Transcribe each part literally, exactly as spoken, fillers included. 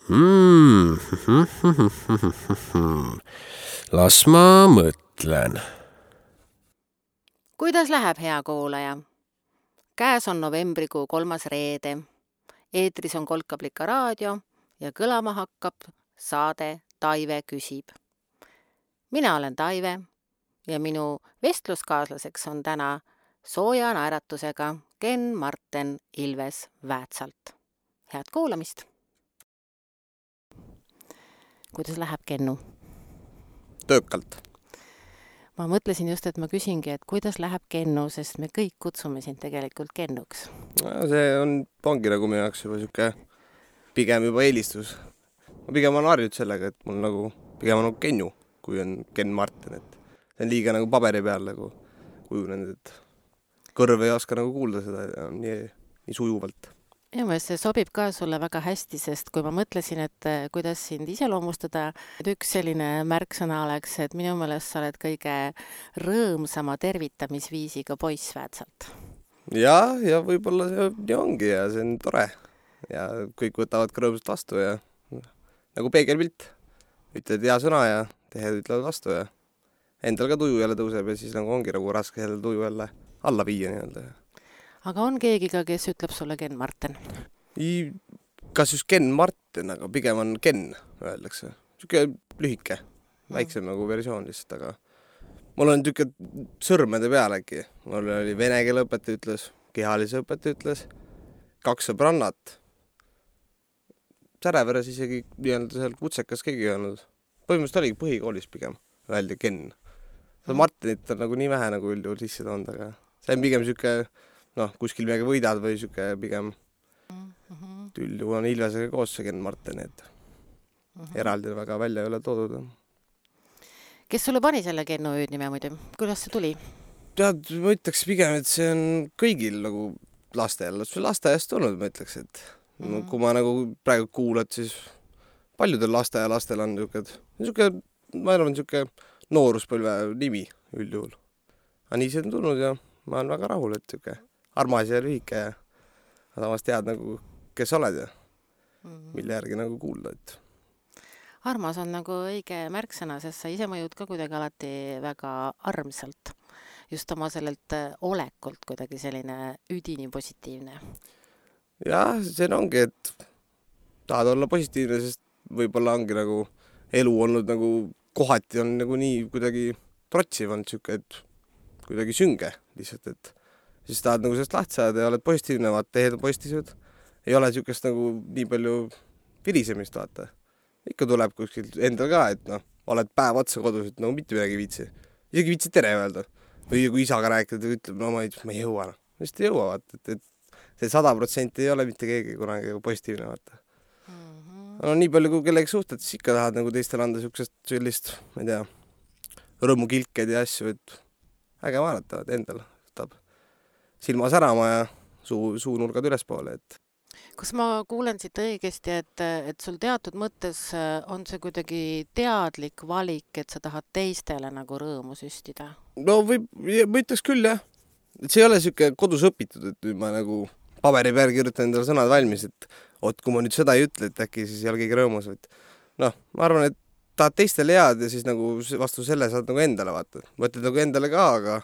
Mm. Las ma mõtlen. Kuidas läheb, hea kuulaja? Käes on novembrikuu kolmas reede. Eetris on Kolkablika raadio ja kõlama hakkab saade Taive küsib. Mina olen Taive ja minu vestluskaaslaseks on täna sooja naeratusega Ken Marten Ilves Väätsalt. Head kuulamist! Kuidas läheb, Kennu? Töökalt. Ma mõtlesin just, et ma küsingi, et kuidas läheb Kennu, sest me kõik kutsume sind tegelikult Kennuks. No, see on, ongi nagu minu jaoks juba siuke pigem juba eelistus. Ma pigem on harjut sellega, et mul nagu pigem on nagu Kennu, kui on Ken Marten. Et see on liiga nagu paberi peal nagu kujunenud, et kõrv ei oska nagu kuulda seda nii, nii sujuvalt. Ja mõelest, see sobib ka sulle väga hästi, sest kui ma mõtlesin, et kuidas sind iseloomustada, et üks selline märksõna oleks, et minu meelest sa oled kõige rõõmsama tervitamisviisiga poiss Väätsalt. Ja, ja võib-olla see nii ongi ja see on tore. Ja kõik võtavad ka rõõmsalt vastu ja nagu peegelpilt. Ütled hea sõna ja tehed ütlevad vastu ja endal ka tuju jälle tõuseb ja siis nagu ongi nagu raske jälle tuju jälle alla viia nii-öelda. Aga on keegi ka, kes ütleb sulle Ken Marten? I, kas just Ken Marten, aga pigem on Ken, öeldakse. Siuke lühike, väiksem nagu versioon lihtsalt, aga mul on siuke sõrmede peal äkki. Mul oli vene keele õpetaja ütles, kehalise õpetaja ütles, kaks sõbrannat. Säreveres isegi nii-öelda seal kutsekas keegi olnud. Põhimõtteliselt oligi põhikoolis pigem, öeldi Ken. Seda Martenit on nagu nii vähe nagu üldjuhul sisse toonud, aga see on pigem siuke noh, kuskil midagi võidad või siuke pigem mm-hmm. üldjuhul on Ilvesega koos see Ken Marten, et mm-hmm. eraldi väga välja ei ole toodud. Kes sulle pani selle Kennu hüüdnime muidu? Kuidas see tuli? Tead, ma ütleks pigem, et see on kõigil nagu lastel. See lasteaiast tulnud, ma ütleks, et mm-hmm. kui ma nagu praegu kuulad, siis paljudel lasteaia lastel on siuke, siuke, ma arvan, siuke nooruspõlve nimi üldjuhul. Aga nii see on tulnud ja ma olen väga rahul, et siuke armas ja lühike ja samas tead nagu, kes oled ja mille järgi nagu kuulda. Et... Armas on nagu õige märksõna, sest sa ise mõjud ka kuidagi alati väga armsalt. Just oma sellelt olekult kuidagi selline üdini positiivne. Jah, see ongi, et tahad olla positiivne, sest võib-olla ongi nagu elu olnud nagu kohati on nagu nii kuidagi trotsiv olnud siuke, et kuidagi sünge lihtsalt, et siis tahad nagu sellest lahti saada ja oled positiivne, vaata, tehed on positiivsed. Ei ole siukest nagu nii palju virisemist, vaata. Ikka tuleb kuskil endal ka, et noh, oled päev otsa kodus, et no mitte midagi viitsi. Isegi viitsi tere öelda. Või kui isaga rääkida, ta ütleb, no ma ei, ma ei jõua. Vist ei jõua, vaata, et, et see sada protsenti ei ole mitte keegi kunagi positiivne, vaata. Mm-hmm. No nii palju, kui kellegi suhted, siis ikka tahad nagu teistel anda siuksest sellist, ma ei tea, rõõmukilked ja asju, et äge vaadata, et endal võtab silma särama ja suu, suunurgad ülespoole. Et... Kas ma kuulen siit õigesti, et, et sul teatud mõttes on see kuidagi teadlik valik, et sa tahad teistele nagu rõõmu süstida? No või, ma ütleks küll, jah. Et see ei ole siuke kodus õpitud, et nüüd ma nagu paberi peal kirjutan endale sõnad valmis, et oot, kui ma nüüd seda ei ütle, et äkki siis ei ole keegi rõõmus. Noh, ma arvan, et tahad teistele head ja siis nagu vastu selle saad nagu endale vaata. Mõtled nagu endale ka, aga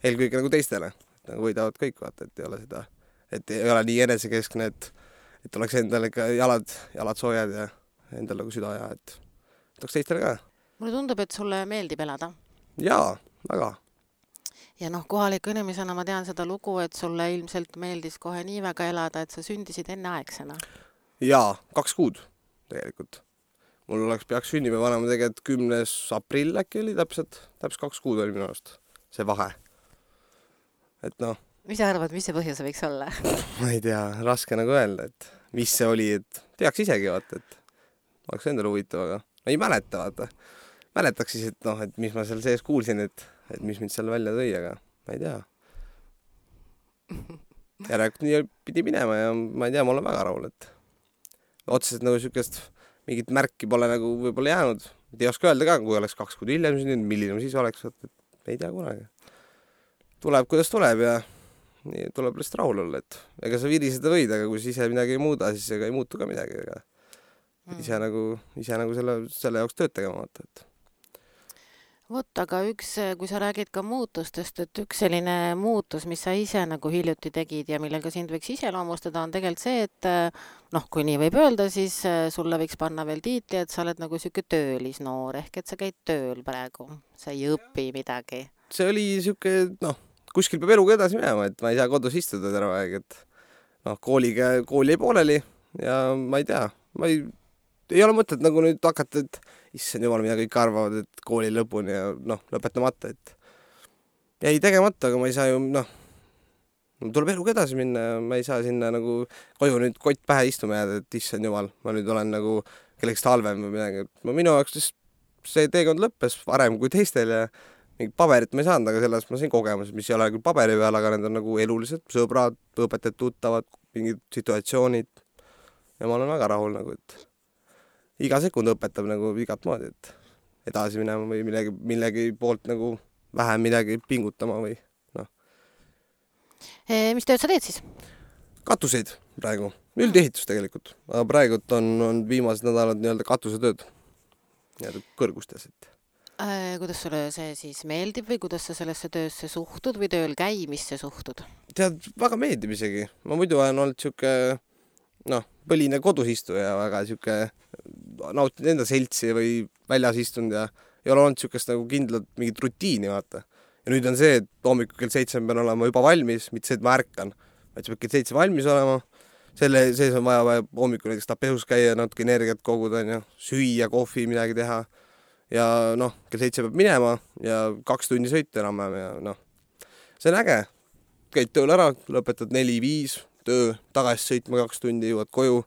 eelkõige nagu teistele. Nagu võidavad kõik vaata, et ei ole seda, et ei ole nii enesekeskne, et, et oleks endale ka jalad, jalad soojad ja endal nagu süda ja, et oleks teistele ka. Mulle tundub, et sulle meeldib elada. Jaa, väga. Ja noh, kohaliku inimesena ma tean seda lugu, et sulle ilmselt meeldis kohe nii väga elada, et sa sündisid enne aegsena. Jaa, kaks kuud tegelikult. Mul oleks peaks sünnime vanema tegelikult kümnes aprill äkki oli täpselt, täpselt kaks kuud oli minu arust see vahe. Et noh. Mis sa arvad, mis see põhjus võiks olla? Ma ei tea, raske nagu öelda, et mis see oli, et teaks isegi vaata, et oleks endale huvitav, aga ma ei mäleta vaata. Mäletaks siis, et noh, et mis ma seal sees kuulsin, et, et mis mind seal välja tõi, aga ma ei tea. Järelikult nii pidi minema ja ma ei tea, ma olen väga rahul, et otseselt nagu siukest mingit märki pole nagu võib-olla jäänud. Ei oska öelda ka, kui oleks kaks kuud hiljem, milline siis oleks, et ei tea kunagi. Tuleb, kuidas tuleb ja nii tuleb lihtsalt rahul olla, et ega sa viriseda võid, aga kui sa ise midagi ei muuda, siis ega ei muutu ka midagi. Ega ise nagu, ise nagu selle, selle jaoks tööd tegema vaata, et Vot, aga üks, kui sa räägid ka muutustest, et üks selline muutus, mis sa ise nagu hiljuti tegid ja millega sind võiks iseloomustada, on tegelikult see, et noh, kui nii võib öelda, siis sulle võiks panna veel tiitli, et sa oled nagu siuke töölisnoor, ehk et sa käid tööl praegu, sa ei õpi midagi. See oli siuke, noh, kuskil peab eluga edasi minema, et ma ei saa kodus istuda terve aeg, et noh, kooliga, kooli ei pooleli ja ma ei tea, ma ei, ei ole mõtet nagu nüüd hakata, et issand jumal, mida kõik arvavad, et kooli lõpuni ja noh, lõpetamata, et jäi tegemata, aga ma ei saa ju, noh, tuleb eluga edasi minna ja ma ei saa sinna nagu koju nüüd kott pähe istuma jääda, et issand jumal, ma nüüd olen nagu kellekski halvem või midagi. Ma minu jaoks see teekond lõppes varem kui teistel ja mingit paberit ma ei saanud, aga sellest ma sain kogemus, mis ei ole küll paberi peal, aga need on nagu elulised sõbrad, õpetajad, tuttavad, mingid situatsioonid ja ma olen väga rahul nagu, et iga sekund õpetab nagu igat moodi, et edasi minema või millegi, millegi poolt nagu vähem midagi pingutama või noh. E, mis tööd sa teed siis? Katuseid praegu, üldehitus tegelikult, aga praegult on, on viimased nädalad nii-öelda katusetööd nii-öelda kõrgustes, et e, kuidas sulle see siis meeldib või kuidas sa sellesse töösse suhtud või tööl käimisse suhtud? Tead, väga meeldib isegi, ma muidu olen olnud siuke noh, põline kodus istuja väga siuke nautinud enda seltsi või väljas istunud ja ei ole olnud siukest nagu kindlat mingit rutiini, vaata. Ja nüüd on see, et hommikul kell seitse pean olema juba valmis, mitte see, et ma ärkan, vaid see peab kell seitse valmis olema. Selle sees on vaja, vaja hommikul näiteks tapehus käia, natuke energiat koguda, ja, süüa, kohvi, midagi teha. Ja noh, kell seitse peab minema ja kaks tundi sõita enam ja noh, see on äge. Käid tööl ära, lõpetad neli viis, töö, tagasi sõitma kaks tundi, jõuad koju.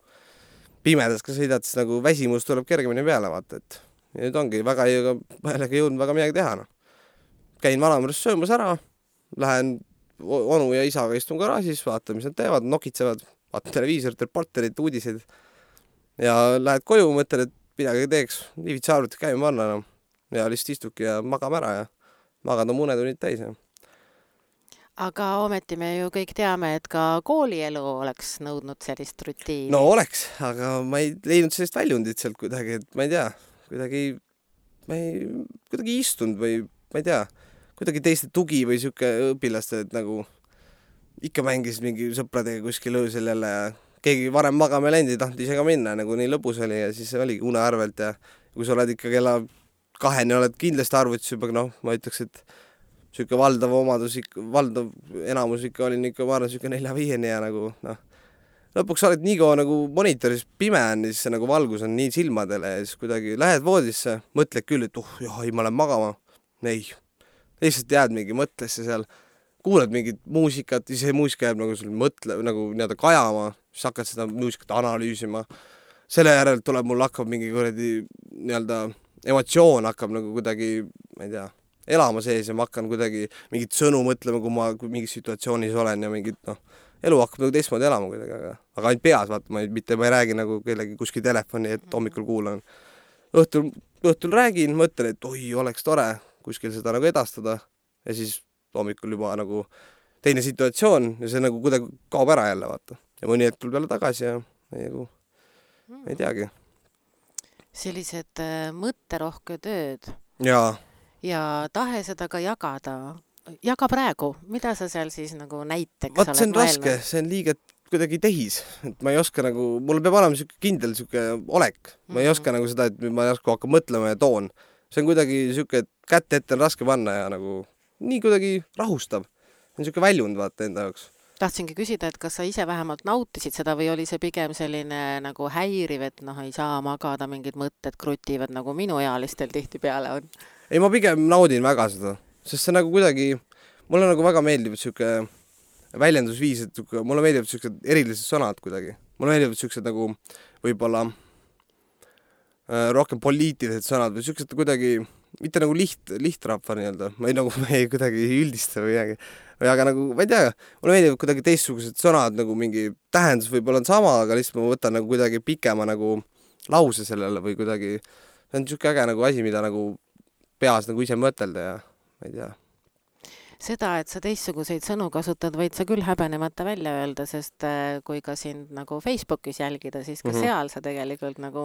Pimedas, kui sõidad, siis nagu väsimus tuleb kergemini peale, vaata, et ja nüüd ongi väga ei jõudnud väga midagi teha. No. Käin vanamõrst söömas ära, lähen onu ja isaga istun garaažis, vaatan, mis nad teevad, nokitsevad, vaatan televiisorit, reporterit, uudiseid ja lähed koju, mõtlen, et midagi teeks, nii vitsi arvuti käima panna no. Ja lihtsalt istuki ja magame ära ja magad on munetunnid täis. Ja. Aga ometi me ju kõik teame, et ka koolielu oleks nõudnud sellist rutiini. No oleks, aga ma ei leidnud sellist väljundit sealt kuidagi, et ma ei tea, kuidagi, ma ei, kuidagi istunud või ma ei tea, kuidagi teiste tugi või siuke õpilaste, et nagu ikka mängis mingi sõpradega kuskil öösel jälle ja keegi varem magama läinud ei tahtnud ise ka minna, nagu nii lõbus oli ja siis oligi une arvelt ja kui sa oled ikka kella kaheni oled kindlasti arvutis juba, noh, ma ütleks, et siuke valdav omadus, valdav enamus ikka oli ikka, ma arvan, siuke nelja viieni ja nagu, noh, lõpuks oled nii kaua nagu monitoris pime on, siis see nagu valgus on nii silmadele ja siis kuidagi lähed voodisse, mõtled küll, et uh, jah, ei, ma lähen magama. Ei, lihtsalt jääd mingi mõtlesse seal, kuulad mingit muusikat, siis see muusika jääb nagu sul mõtle, nagu nii-öelda kajama, siis hakkad seda muusikat analüüsima. Selle järel tuleb mul hakkab mingi kuradi nii-öelda emotsioon hakkab nagu kuidagi, ma ei tea, elama sees ja ma hakkan kuidagi mingit sõnu mõtlema, kui ma kui mingis situatsioonis olen ja mingit, noh, elu hakkab nagu teistmoodi elama kuidagi, aga, aga ainult peas, vaata, ma ei, mitte ma ei räägi nagu kellegi kuskil telefoni, et hommikul kuulan. Õhtul, õhtul räägin, mõtlen, et oi, oleks tore kuskil seda nagu edastada ja siis hommikul juba nagu teine situatsioon ja see nagu kuidagi kaob ära jälle, vaata. Ja mõni hetk tuleb jälle tagasi ja ei, nagu, ei teagi. Sellised äh, mõtterohke tööd. Jaa. Ja tahe seda ka jagada. Jaga praegu, mida sa seal siis nagu näiteks Vaat, see on oled raske, mõelnud? see on liiga kuidagi tehis, et ma ei oska nagu, mul peab olema siuke kindel siuke olek, ma ei oska nagu seda, et ma ei oska hakka mõtlema ja toon. See on kuidagi siuke, et kätte ette on raske panna ja nagu nii kuidagi rahustab. See on siuke väljund vaata enda jaoks. Tahtsingi küsida, et kas sa ise vähemalt nautisid seda või oli see pigem selline nagu häiriv, et noh, ei saa magada, mingid mõtted krutivad nagu minu ealistel tihti peale on? Ei, ma pigem naudin väga seda, sest see nagu kuidagi, mulle nagu väga meeldib siuke väljendusviis, et siuke, mulle meeldivad siuksed erilised sõnad kuidagi. Mulle meeldivad siuksed nagu võib-olla äh, rohkem poliitilised sõnad või siuksed kuidagi, mitte nagu liht, lihtrahva nii-öelda, ma ei nagu ma ei kuidagi üldista või midagi. Või aga nagu, ma ei tea, mulle meeldivad kuidagi teistsugused sõnad, nagu mingi tähendus võib-olla on sama, aga lihtsalt ma võtan nagu kuidagi pikema nagu lause sellele või kuidagi, see on siuke äge nagu asi, mida nagu peas nagu ise mõtelda ja ma ei tea. Seda, et sa teistsuguseid sõnu kasutad, võid sa küll häbenemata välja öelda, sest äh, kui ka sind nagu Facebookis jälgida, siis ka Mhm. seal sa tegelikult nagu,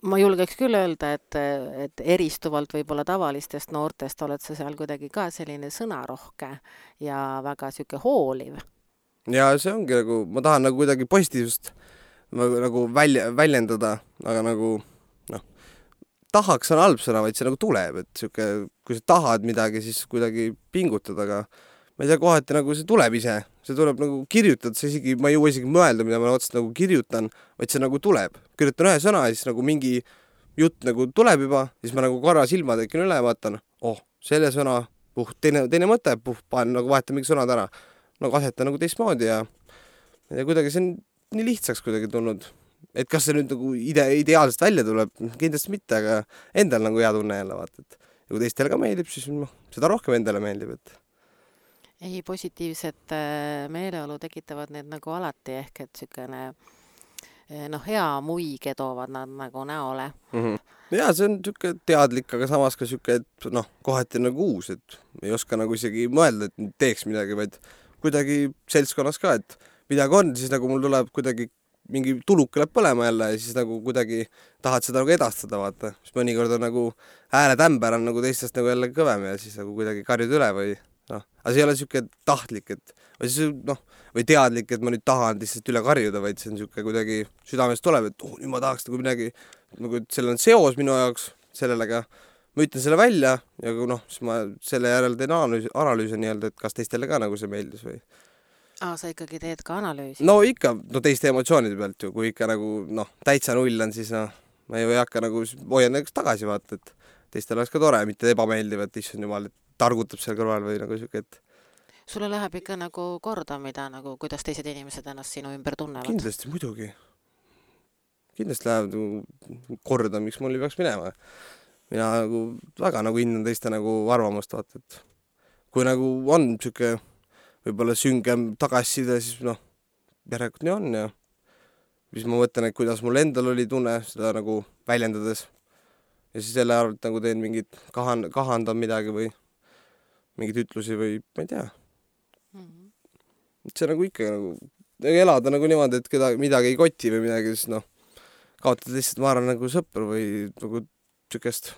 ma julgeks küll öelda, et, et eristuvalt võib-olla tavalistest noortest oled sa seal kuidagi ka selline sõnarohke ja väga sihuke hooliv. Ja see ongi nagu, ma tahan nagu kuidagi positiivsust nagu, nagu välja, väljendada, aga nagu noh, tahaks on halb sõna, vaid see nagu tuleb, et siuke, kui sa tahad midagi, siis kuidagi pingutad, aga ma ei tea, kohati nagu see tuleb ise, see tuleb nagu kirjutad, see isegi, ma ei jõua isegi mõelda, mida ma otseselt nagu kirjutan, vaid see nagu tuleb. Kirjutan ühe sõna ja siis nagu mingi jutt nagu tuleb juba, siis ma nagu korra silma tekin üle ja vaatan, oh, selle sõna, puh, teine, teine mõte, puh, panen nagu vahetan mingi sõnad ära. Nagu asetan nagu teistmoodi ja, ja kuidagi see on nii lihtsaks kuidagi tulnud. Et kas see nüüd nagu ide, ideaalselt välja tuleb, kindlasti mitte, aga endal nagu hea tunne jälle vaata, et ja kui teistele ka meeldib, siis no, seda rohkem endale meeldib, et Ei, positiivset meeleolu tekitavad need nagu alati, ehk et sükene noh, hea muige toovad nad nagu näole. mm-hmm. Ja see on siuke teadlik, aga samas ka siuke, et noh, kohati nagu uus, et ei oska nagu isegi mõelda, et teeks midagi, vaid kuidagi seltskonnas ka, et midagi on, siis nagu mul tuleb kuidagi mingi tuluke läheb põlema jälle ja siis nagu kuidagi tahad seda nagu edastada, vaata. Siis mõnikord on nagu hääletämber on nagu teistest nagu jälle kõvem ja siis nagu kuidagi karjud üle või noh, aga see ei ole siuke tahtlik, et või siis noh, või teadlik, et ma nüüd tahan lihtsalt üle karjuda, vaid see on siuke kuidagi südamest tuleb, et oh, nüüd ma tahaks nagu midagi, nagu et seal on seos minu jaoks sellega, ma ütlen selle välja ja noh, siis ma selle järel teen analüüsi, analüüsi nii-öelda, et kas teistele ka nagu see meeldis või Aa, sa ikkagi teed ka analüüsi? No ikka, no teiste emotsioonide pealt ju, kui ikka nagu noh, täitsa null on, siis noh, ma ei hakka nagu, hoian näiteks tagasi vaata, et teistel oleks ka tore, mitte ebameeldiv, et issand jumal, et targutab seal kõrval või nagu siuke, et Sulle läheb ikka nagu korda, mida nagu, kuidas teised inimesed ennast sinu ümber tunnevad? Kindlasti, muidugi. Kindlasti läheb nagu korda, miks mul ei peaks minema. Mina nagu väga nagu hindan teiste nagu arvamust vaata, et kui nagu on siuke võib-olla süngem tagasiside, siis noh, järelikult nii on ja siis ma mõtlen, et kuidas mul endal oli tunne seda nagu väljendades ja siis selle arvalt nagu teen mingit kahan, kahandan midagi või mingid ütlusi või ma ei tea. Mm-hmm. See nagu ikka nagu elada nagu niimoodi, et keda, midagi ei koti või midagi, siis noh, kaotad lihtsalt, ma arvan, nagu sõpru või nagu siukest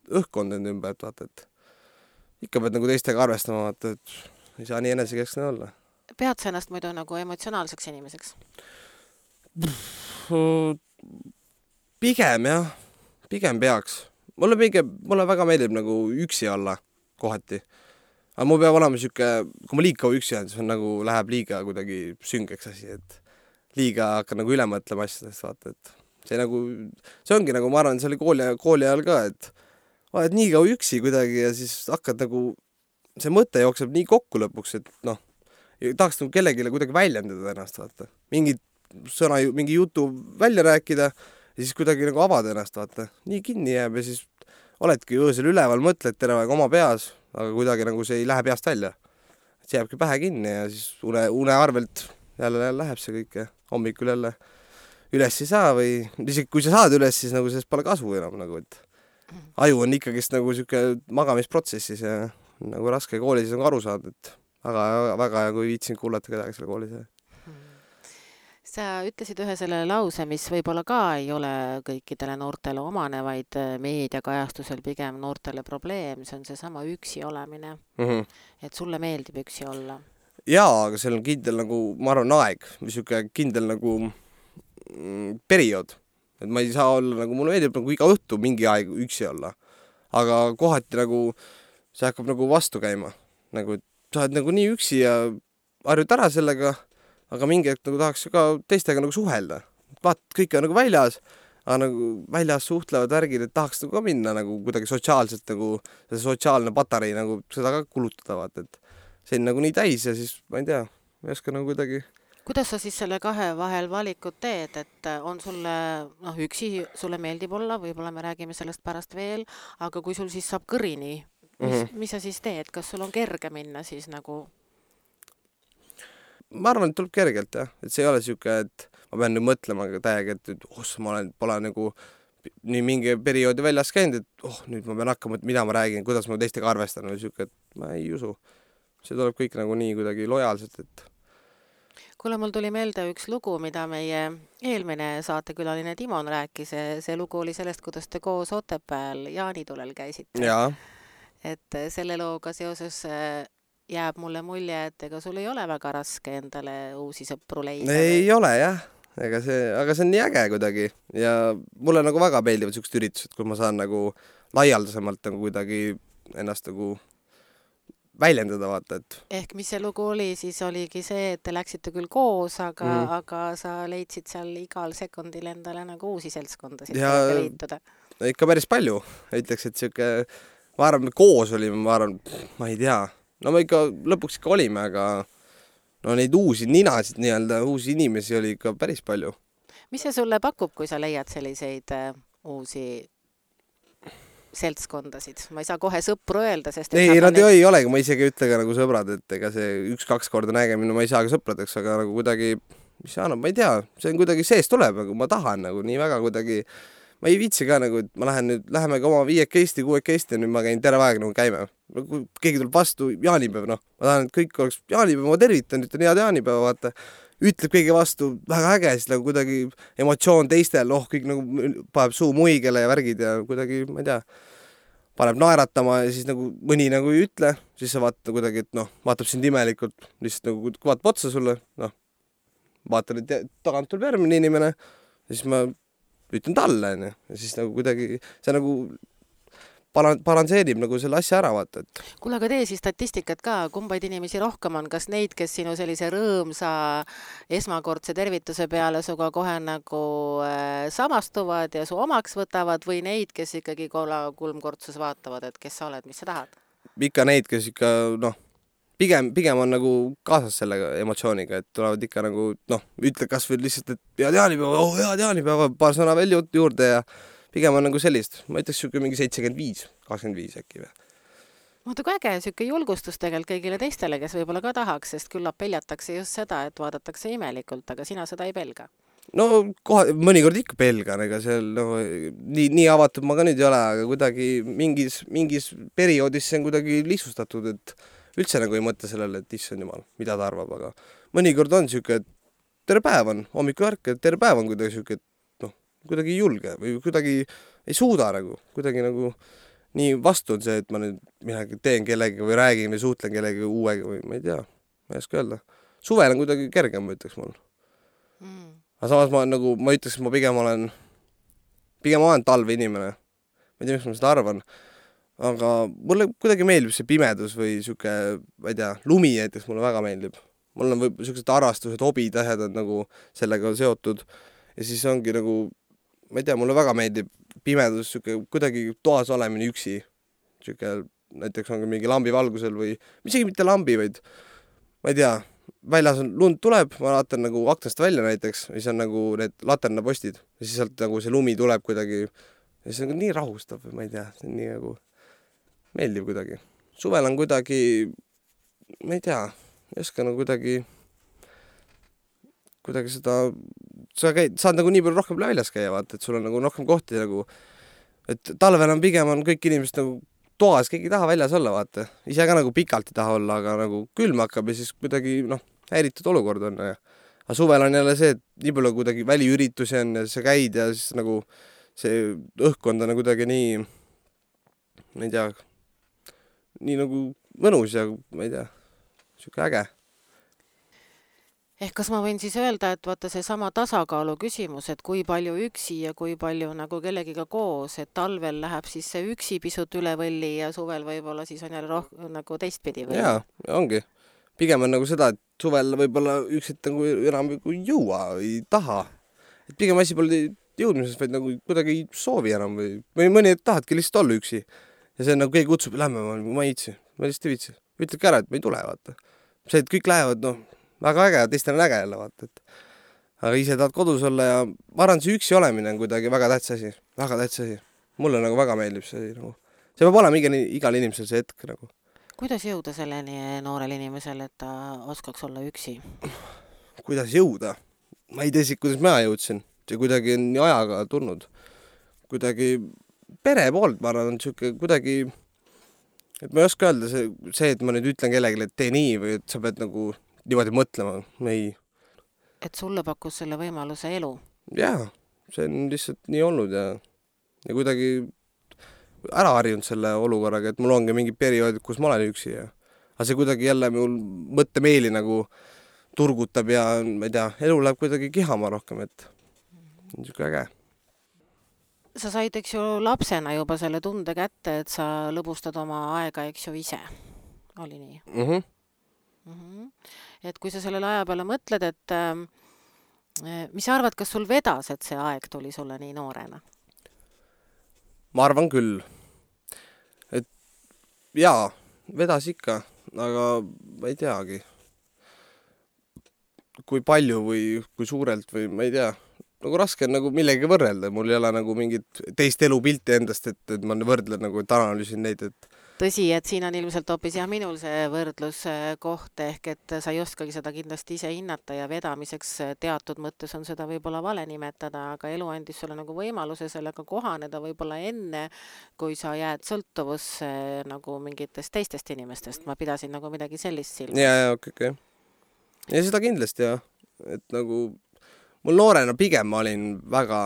õhkkond enda ümber, et vaata, et ikka pead nagu teistega arvestama, vaata, et ei saa nii enesekeskne olla. Pead sa ennast muidu nagu emotsionaalseks inimeseks? Pigem jah, pigem peaks. Mulle, pigem, mulle väga meeldib nagu üksi olla kohati. Aga mul peab olema siuke, kui ma liika üksi on, siis on nagu läheb liiga kuidagi süngeks asi, et liiga hakkan nagu üle mõtlema asjadest, vaata, et see nagu, see ongi nagu, ma arvan, see oli kooli, kooli ajal ka, et oled nii kaua üksi kuidagi ja siis hakkad nagu see mõte jookseb nii kokku lõpuks, et noh, tahaks nagu kellegile kuidagi väljendada ennast, vaata. Mingi sõna, mingi jutu välja rääkida ja siis kuidagi nagu avada ennast, vaata. Nii kinni jääb ja siis oledki öösel üleval, mõtled terve aeg oma peas, aga kuidagi nagu see ei lähe peast välja. See jääbki pähe kinni ja siis une, une arvelt jälle läheb see kõik ja hommikul jälle üles ei saa või isegi kui sa saad üles, siis nagu sellest pole kasu enam nagu, et aju on ikkagist nagu siuke magamisprotsessis ja nagu raske koolis on aru saada, et väga, väga ja kui viitsin kuulata kedagi selle koolis. Sa ütlesid ühe selle lause, mis võib-olla ka ei ole kõikidele noortele omane, vaid meediakajastusel pigem noortele probleem, see on see sama üksi olemine. Mm-hmm. Et sulle meeldib üksi olla? Jaa, aga seal on kindel nagu, ma arvan, aeg, või siuke kindel nagu mm, periood. Et ma ei saa olla nagu, mulle meeldib nagu iga õhtu mingi aeg üksi olla. Aga kohati nagu see hakkab nagu vastu käima. Nagu, sa oled nagu nii üksi ja harjud ära sellega, aga mingi hetk nagu tahaks ka teistega nagu suhelda. Vaat, kõik on nagu väljas, aga nagu väljas suhtlevad värgid, et tahaks nagu ka minna nagu kuidagi sotsiaalselt nagu, see sotsiaalne patarei nagu seda ka kulutada, vaat, et see on nagu nii täis ja siis, ma ei tea, ma ei oska nagu kuidagi. Kuidas sa siis selle kahe vahel valikut teed, et on sulle, noh, üksi sulle meeldib olla, võib-olla me räägime sellest pärast veel, aga kui sul siis saab kõrini, mis, mm-hmm. mis sa siis teed? Kas sul on kerge minna siis nagu? Ma arvan, et tuleb kergelt, jah. Et see ei ole siuke, et ma pean nüüd mõtlema täiega, et, et oh, ma olen, pole nagu nii mingi perioodi väljas käinud, et oh, nüüd ma pean hakkama, et mida ma räägin, kuidas ma teistega arvestan või siuke, et ma ei usu. See tuleb kõik nagu nii kuidagi lojaalselt, et Kuule, mul tuli meelde üks lugu, mida meie eelmine saatekülaline Timon rääkis. See lugu oli sellest, kuidas te koos Otepääl jaanitulel käisite. jaa, Et selle looga seoses jääb mulle mulje, et ega sul ei ole väga raske endale uusi sõpru leida. ei ole jah, ega see, aga see on nii äge kuidagi ja mulle nagu väga meeldivad siuksed üritused, kui ma saan nagu laialdasemalt nagu kuidagi ennast nagu väljendada, vaata, et Ehk mis see lugu oli, siis oligi see, et te läksite küll koos, aga, Mhm. mm. aga sa leidsid seal igal sekundil endale nagu uusi seltskondasid Ja- kellega liituda. ikka päris palju, ütleks, et siuke, ma arvan, me koos olime, ma arvan, ma ei tea, no me ikka lõpuks ikka olime, aga no neid uusi ninasid nii-öelda, uusi inimesi oli ikka päris palju. Mis see sulle pakub, kui sa leiad selliseid äh, uusi seltskondasid? Ma ei saa kohe sõpru öelda, sest et ei, nad on nad ei olegi, ma isegi ei ütle ka nagu sõbrad, et ega see üks-kaks korda nägemine ma ei saa ka sõpradeks, aga nagu kuidagi, mis see annab, ma ei tea, see on kuidagi sees tuleb, nagu ma tahan nagu nii väga kuidagi, ma ei viitsi ka nagu, et ma lähen nüüd, lähemegi oma viiekesti, kuuekesti ja nüüd ma käin terve aeg nagu käime. Kui keegi tuleb vastu, jaanipäev, noh, ma tahan, et kõik oleks jaanipäev, ma tervitan, ütlen head jaanipäeva, vaata, ütleb keegi vastu, väga äge, siis nagu kuidagi emotsioon teistel, oh, kõik nagu paneb suu muigele ja värgid ja kuidagi, ma ei tea, paneb naeratama ja siis nagu mõni nagu ei ütle, siis sa vaata kuidagi, et noh, vaatab sind imelikult, lihtsalt nagu vaatab otsa sulle, noh, vaatan, et tagant tuleb järgmine inimene, siis ma ütlen talle, onju, ja siis nagu kuidagi see nagu balan- balansseerib nagu selle asja ära, vaata, et Kuule, aga tee siis statistikat ka, kumbaid inimesi rohkem on, kas neid, kes sinu sellise rõõmsa esmakordse tervituse peale suga kohe nagu äh, samastuvad ja su omaks võtavad või neid, kes ikkagi kola kulmkortsus vaatavad, et kes sa oled, mis sa tahad? ikka neid, kes ikka, noh, pigem, pigem on nagu kaasas selle emotsiooniga, et tulevad ikka nagu, noh, ütle kas või lihtsalt, et head jaanipäeva, oh, head jaanipäeva, paar sõna veel ju- juurde ja pigem on nagu sellist, ma ütleks siuke mingi seitsekümmend viis, kakskümmend viis äkki või. Vaata, kui äge, siuke julgustus tegelikult kõigile teistele, kes võib-olla ka tahaks, sest küllap peljatakse just seda, et vaadatakse imelikult, aga sina seda ei pelga. No kohe, mõnikord ikka pelgan, ega seal no, nii, nii avatud ma ka nüüd ei ole, aga kuidagi mingis, mingis perioodis see on kuidagi lihtsustatud, et üldse nagu ei mõtle sellele, et issand jumal, mida ta arvab, aga mõnikord on siuke, et tere päev on, hommikul ärke, tere päev on kuidagi siuke, et noh, kuidagi ei julge või kuidagi ei suuda nagu, kuidagi nagu nii vastu on see, et ma nüüd midagi teen kellegagi või räägin või suhtlen kellegagi uuega või ma ei tea, ma ei oska öelda. Suvel on kuidagi kergem, ma ütleks mul. Mm. Aga samas ma nagu, ma ütleks, ma pigem olen, pigem olen talve inimene. Ma ei tea, miks ma seda arvan. Aga mulle kuidagi meeldib see pimedus või siuke, ma ei tea, lumi näiteks mulle väga meeldib. Mul on võib siuksed harrastused, hobid, asjad on nagu sellega seotud. Ja siis ongi nagu, ma ei tea, mulle väga meeldib pimedus, siuke kuidagi toas olemine üksi. Siuke, näiteks ongi mingi lambi valgusel või, isegi mitte lambi, vaid ma ei tea, väljas on lund tuleb, ma vaatan nagu aknast välja näiteks, ja siis on nagu need laternapostid ja siis sealt nagu see lumi tuleb kuidagi ja see on nii rahustav, ma ei tea, see on nii nagu meeldib kuidagi. Suvel on kuidagi, ma ei tea, ei oska nagu kuidagi kuidagi seda, sa käid, saad nagu nii palju rohkem väljas käia, vaata, et sul on nagu rohkem kohti nagu, et talvel on pigem on kõik inimesed nagu toas, keegi ei taha väljas olla, vaata. Ise ka nagu pikalt ei taha olla, aga nagu külm hakkab ja siis kuidagi, noh, häiritud olukord on. Ja. Aga suvel on jälle see, et nii palju kuidagi väliüritusi on ja sa käid ja siis nagu see õhkkond on kuidagi nii, ma ei tea, nii nagu mõnus ja ma ei tea, siuke äge. Ehk kas ma võin siis öelda, et vaata see sama tasakaalu küsimus, et kui palju üksi ja kui palju nagu kellegiga koos, et talvel läheb siis see üksi pisut üle võlli ja suvel võib-olla siis on jälle roh- nagu teistpidi või? Jaa, ongi. Pigem on nagu seda, et suvel võib-olla üksit nagu enam ei jõua, ei taha. Et pigem asi pole jõudmises, vaid nagu kuidagi ei soovi enam või, või mõni tahadki lihtsalt olla üksi. Ja see on nagu keegi kutsub, lähme, ma ei viitsi, ma lihtsalt ei viitsi. Ütlegi ära, et ma ei tule, vaata. See, et kõik lähevad, noh, väga äge, teistel on äge jälle, vaata, et aga ise tahad kodus olla ja ma arvan, see üksi olemine on kuidagi väga tähtis asi, väga tähtis asi. Mulle nagu väga meeldib see, nagu, see peab olema igal, igal inimesel see hetk nagu. Kuidas jõuda selleni noorel inimesel, et ta oskaks olla üksi? Kuidas jõuda? Ma ei tea, kuidas mina jõudsin, see kuidagi on nii ajaga tulnud. kuidagi pere poolt, ma arvan, on siuke kuidagi, et ma ei oska öelda see, see, et ma nüüd ütlen kellelegi, et tee nii või et sa pead nagu niimoodi mõtlema, ei. Et sulle pakkus selle võimaluse elu? Jaa, see on lihtsalt nii olnud ja, ja kuidagi ära harjunud selle olukorraga, et mul ongi mingi periood, kus ma olen üksi ja aga see kuidagi jälle mul mõttemeeli nagu turgutab ja ma ei tea, elu läheb kuidagi kihama rohkem, et on siuke äge. Sa said, eks ju, lapsena juba selle tunde kätte, et sa lõbustad oma aega, eks ju, ise. Oli nii? Mhm. Mm-hmm. Et kui sa sellele aja peale mõtled, et äh, mis sa arvad, kas sul vedas, et see aeg tuli sulle nii noorena? Ma arvan küll. Et jaa, vedas ikka, aga ma ei teagi. Kui palju või kui suurelt või ma ei tea. Nagu raske on nagu millegi võrrelda. Mul ei ole nagu mingit teist elupilti endast, et, et ma võrdlen nagu, et analüüsin neid, et tõsi, et siin on ilmselt hoopis ja minul see võrdluskoht ehk, et sa ei oskagi seda kindlasti ise hinnata ja vedamiseks teatud mõttes on seda võib-olla vale nimetada, aga elu andis sulle nagu võimaluse sellega kohaneda võib-olla enne, kui sa jääd sõltuvusse nagu mingitest teistest inimestest. Ma pidasin nagu midagi sellist silmas. Ja, ja, okei, okay, okay. Ja seda kindlasti, jah. Et nagu mul noorena pigem ma olin väga,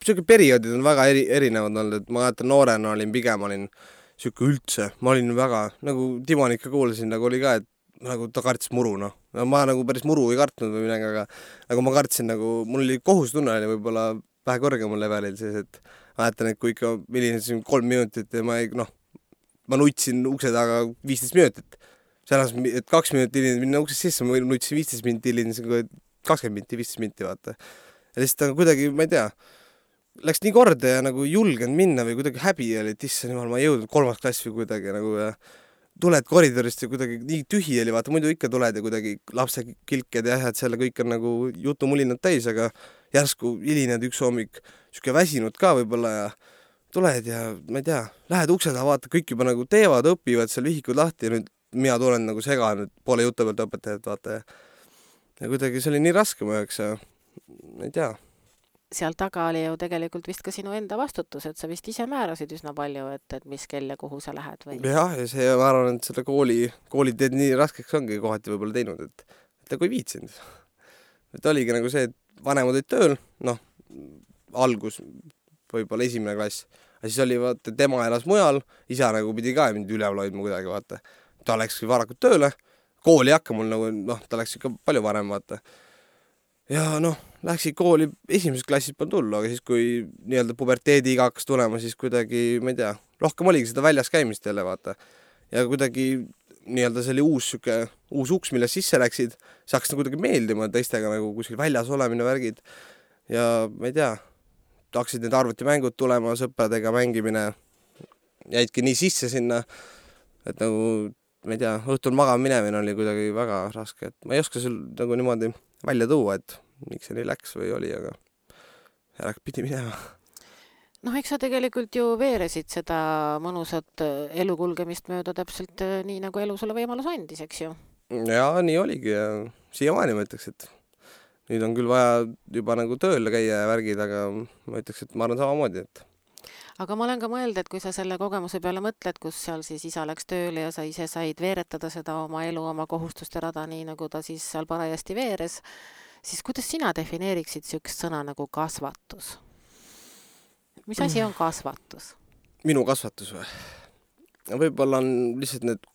siuke perioodid on väga eri, erinevad olnud, et ma jätan noorena olin pigem olin siuke üldse, ma olin väga, nagu Timon ikka kuulasin, nagu oli ka, et nagu ta kartis muru, noh. Ma nagu päris muru ei kartnud või midagi, aga nagu ma kartsin nagu, mul oli kohustunne oli võib-olla vähe kõrgemal levelil siis, et ma jätan, et kui ikka millinesin kolm minutit ja ma ei, noh, ma nutsin ukse taga viisteist minutit. Selles, et kaks minutit hiljem minna uksest sisse, ma nutsin viisteist minutit hiljem, kakskümmend minti, viisteist minti, vaata. Ja lihtsalt kuidagi, ma ei tea, läks nii korda ja nagu julgenud minna või kuidagi häbi oli, et issand jumal, ma ei jõudnud kolmas klass või kuidagi nagu ja tuled koridorist ja kuidagi nii tühi oli, vaata, muidu ikka tuled ja kuidagi lapse kilked ja et selle kõik on nagu jutumulinad täis, aga järsku hilined üks hommik, siuke väsinud ka võib-olla ja tuled ja ma ei tea, lähed ukse taha, vaata, kõik juba nagu teevad, õpivad seal vihikud lahti ja nüüd mina tulen nagu segan, poole jutu pealt õpetajad, vaata ja ja kuidagi see oli nii raske mu jaoks ja ma ei tea. Seal taga oli ju tegelikult vist ka sinu enda vastutus, et sa vist ise määrasid üsna palju, et, et mis kell ja kuhu sa lähed või? Jah, ja see ma arvan, et selle kooli, kooli teed nii raskeks ongi kohati võib-olla teinud, et, et kui viitsinud. Et oligi nagu see, et vanemad olid tööl, noh, algus võib-olla esimene klass, ja siis oli, vaata, tema elas mujal, isa nagu pidi ka mind üleval hoidma kuidagi, vaata. Ta läks varakult tööle, kooli hakka mul nagu, noh, ta läks ikka palju varem, vaata. Ja noh, läksid kooli esimeses klassis peal tulla, aga siis kui nii-öelda puberteedi iga hakkas tulema, siis kuidagi, ma ei tea, rohkem oligi seda väljas käimist jälle, vaata. Ja kuidagi nii-öelda see oli uus, siuke, uus uks, mille sisse läksid, see hakkas nagu kuidagi meeldima teistega nagu kuskil väljas olemine värgid. Ja ma ei tea, hakkasid need arvutimängud tulema, sõpradega mängimine, jäidki nii sisse sinna, et nagu ma ei tea, õhtul magama minemine oli kuidagi väga raske, et ma ei oska sul nagu niimoodi välja tuua, et miks see nii läks või oli, aga järg pidi minema. Noh, eks sa tegelikult ju veeresid seda mõnusat elukulgemist mööda täpselt nii, nagu elu sulle võimalus andis, eks ju? Ja, nii oligi ja siiamaani ma ütleks, et nüüd on küll vaja juba nagu tööle käia ja värgid, aga ma ütleks, et ma arvan samamoodi, et aga ma olen ka mõelda, et kui sa selle kogemuse peale mõtled, kus seal siis isa läks tööle ja sa ise said veeretada seda oma elu, oma kohustuste rada, nii nagu ta siis seal parajasti veeres, siis kuidas sina defineeriksid siukest sõna nagu kasvatus? Mis asi on kasvatus? Minu kasvatus või? Võib-olla on lihtsalt need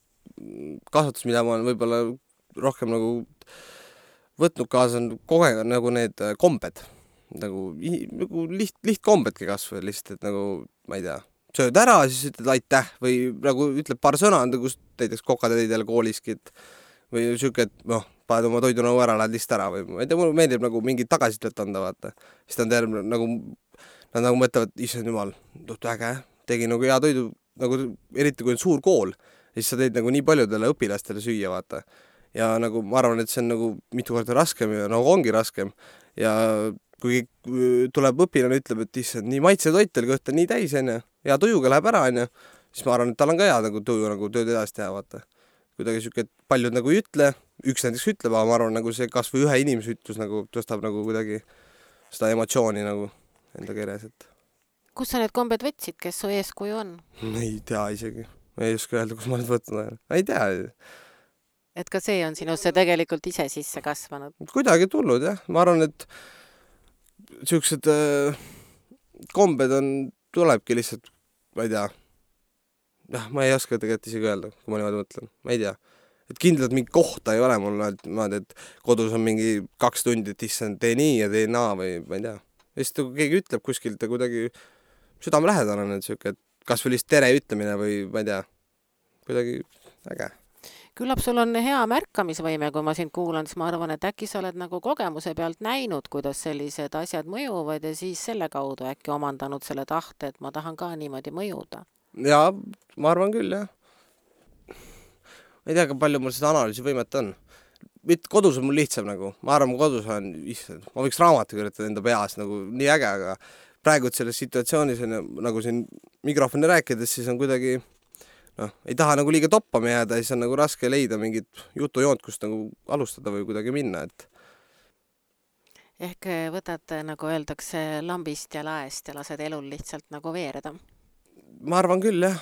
kasvatus, mida ma olen võib-olla rohkem nagu võtnud kaasa, on kohe nagu need kombed. Nagu, nagu liht, lihtkombedki kasvu lihtsalt, et nagu, ma ei tea, sööd ära, siis ütled aitäh või nagu ütleb paar sõna, kus näiteks kokatäidele kooliski, et või siuke, et noh, paned oma toidunõu ära, lähed lihtsalt ära või ma ei tea, mulle meeldib nagu mingit tagasisidet anda, vaata. Siis ta on terve, nagu, nad nagu mõtlevad, issand jumal, äge, tegi nagu hea toidu, nagu eriti kui on suur kool, siis sa teed nagu nii paljudele õpilastele süüa, vaata. Ja nagu ma arvan, et see on nagu mitu korda raskem ja nagu ongi raskem ja kui tuleb õpilane, ütleb, et issand, nii maitse toit oli, kõht on nii täis, on ja, ja tujuga läheb ära, on ja, siis ma arvan, et tal on ka hea nagu tuju nagu tööd edasi teha, vaata. Kuidagi siuke, et paljud nagu ei ütle, üks näiteks ütleb, aga ma arvan, nagu see kas või ühe inimese ütlus nagu tõstab nagu kuidagi seda emotsiooni nagu enda keeles, et Kus sa need kombed võtsid, kes su eeskuju on? Ei tea isegi. Ma ei oska öelda, kus ma nüüd võtnud. Ei tea. Et ka see on sinusse tegelikult ise sisse kasvanud? Kuidagi tulnud, jah. Ma arvan, et siuksed äh, kombed on, tulebki lihtsalt, ma ei tea. jah, ma ei oska tegelikult isegi öelda, kui ma niimoodi mõtlen, ma ei tea. Et kindlalt mingi kohta ei ole mul, et, ma, et kodus on mingi kaks tundi, et issand, tee nii ja tee naa või ma ei tea. Vist kui keegi ütleb kuskilt ja kuidagi südamelähedane on siuke, et kas või lihtsalt tere ütlemine või ma ei tea, kuidagi äge. Küllap sul on hea märkamisvõime, kui ma sind kuulan, siis ma arvan, et äkki sa oled nagu kogemuse pealt näinud, kuidas sellised asjad mõjuvad ja siis selle kaudu äkki omandanud selle tahte, et ma tahan ka niimoodi mõjuda. Jaa, ma arvan küll, jah. Ma ei tea, ka palju mul seda analüüsivõimet on. Mitte kodus on mul lihtsam nagu. Ma arvan, kodus on, issand, ma võiks raamatu kirjutada enda peas nagu nii äge, aga praegu selles situatsioonis on nagu siin mikrofoni rääkides, siis on kuidagi noh, ei taha nagu liiga toppama jääda, siis on nagu raske leida mingit jutujoont, kust nagu alustada või kuidagi minna, et ehk võtad, nagu öeldakse, lambist ja laest ja lased elul lihtsalt nagu veereda? Ma arvan küll, jah.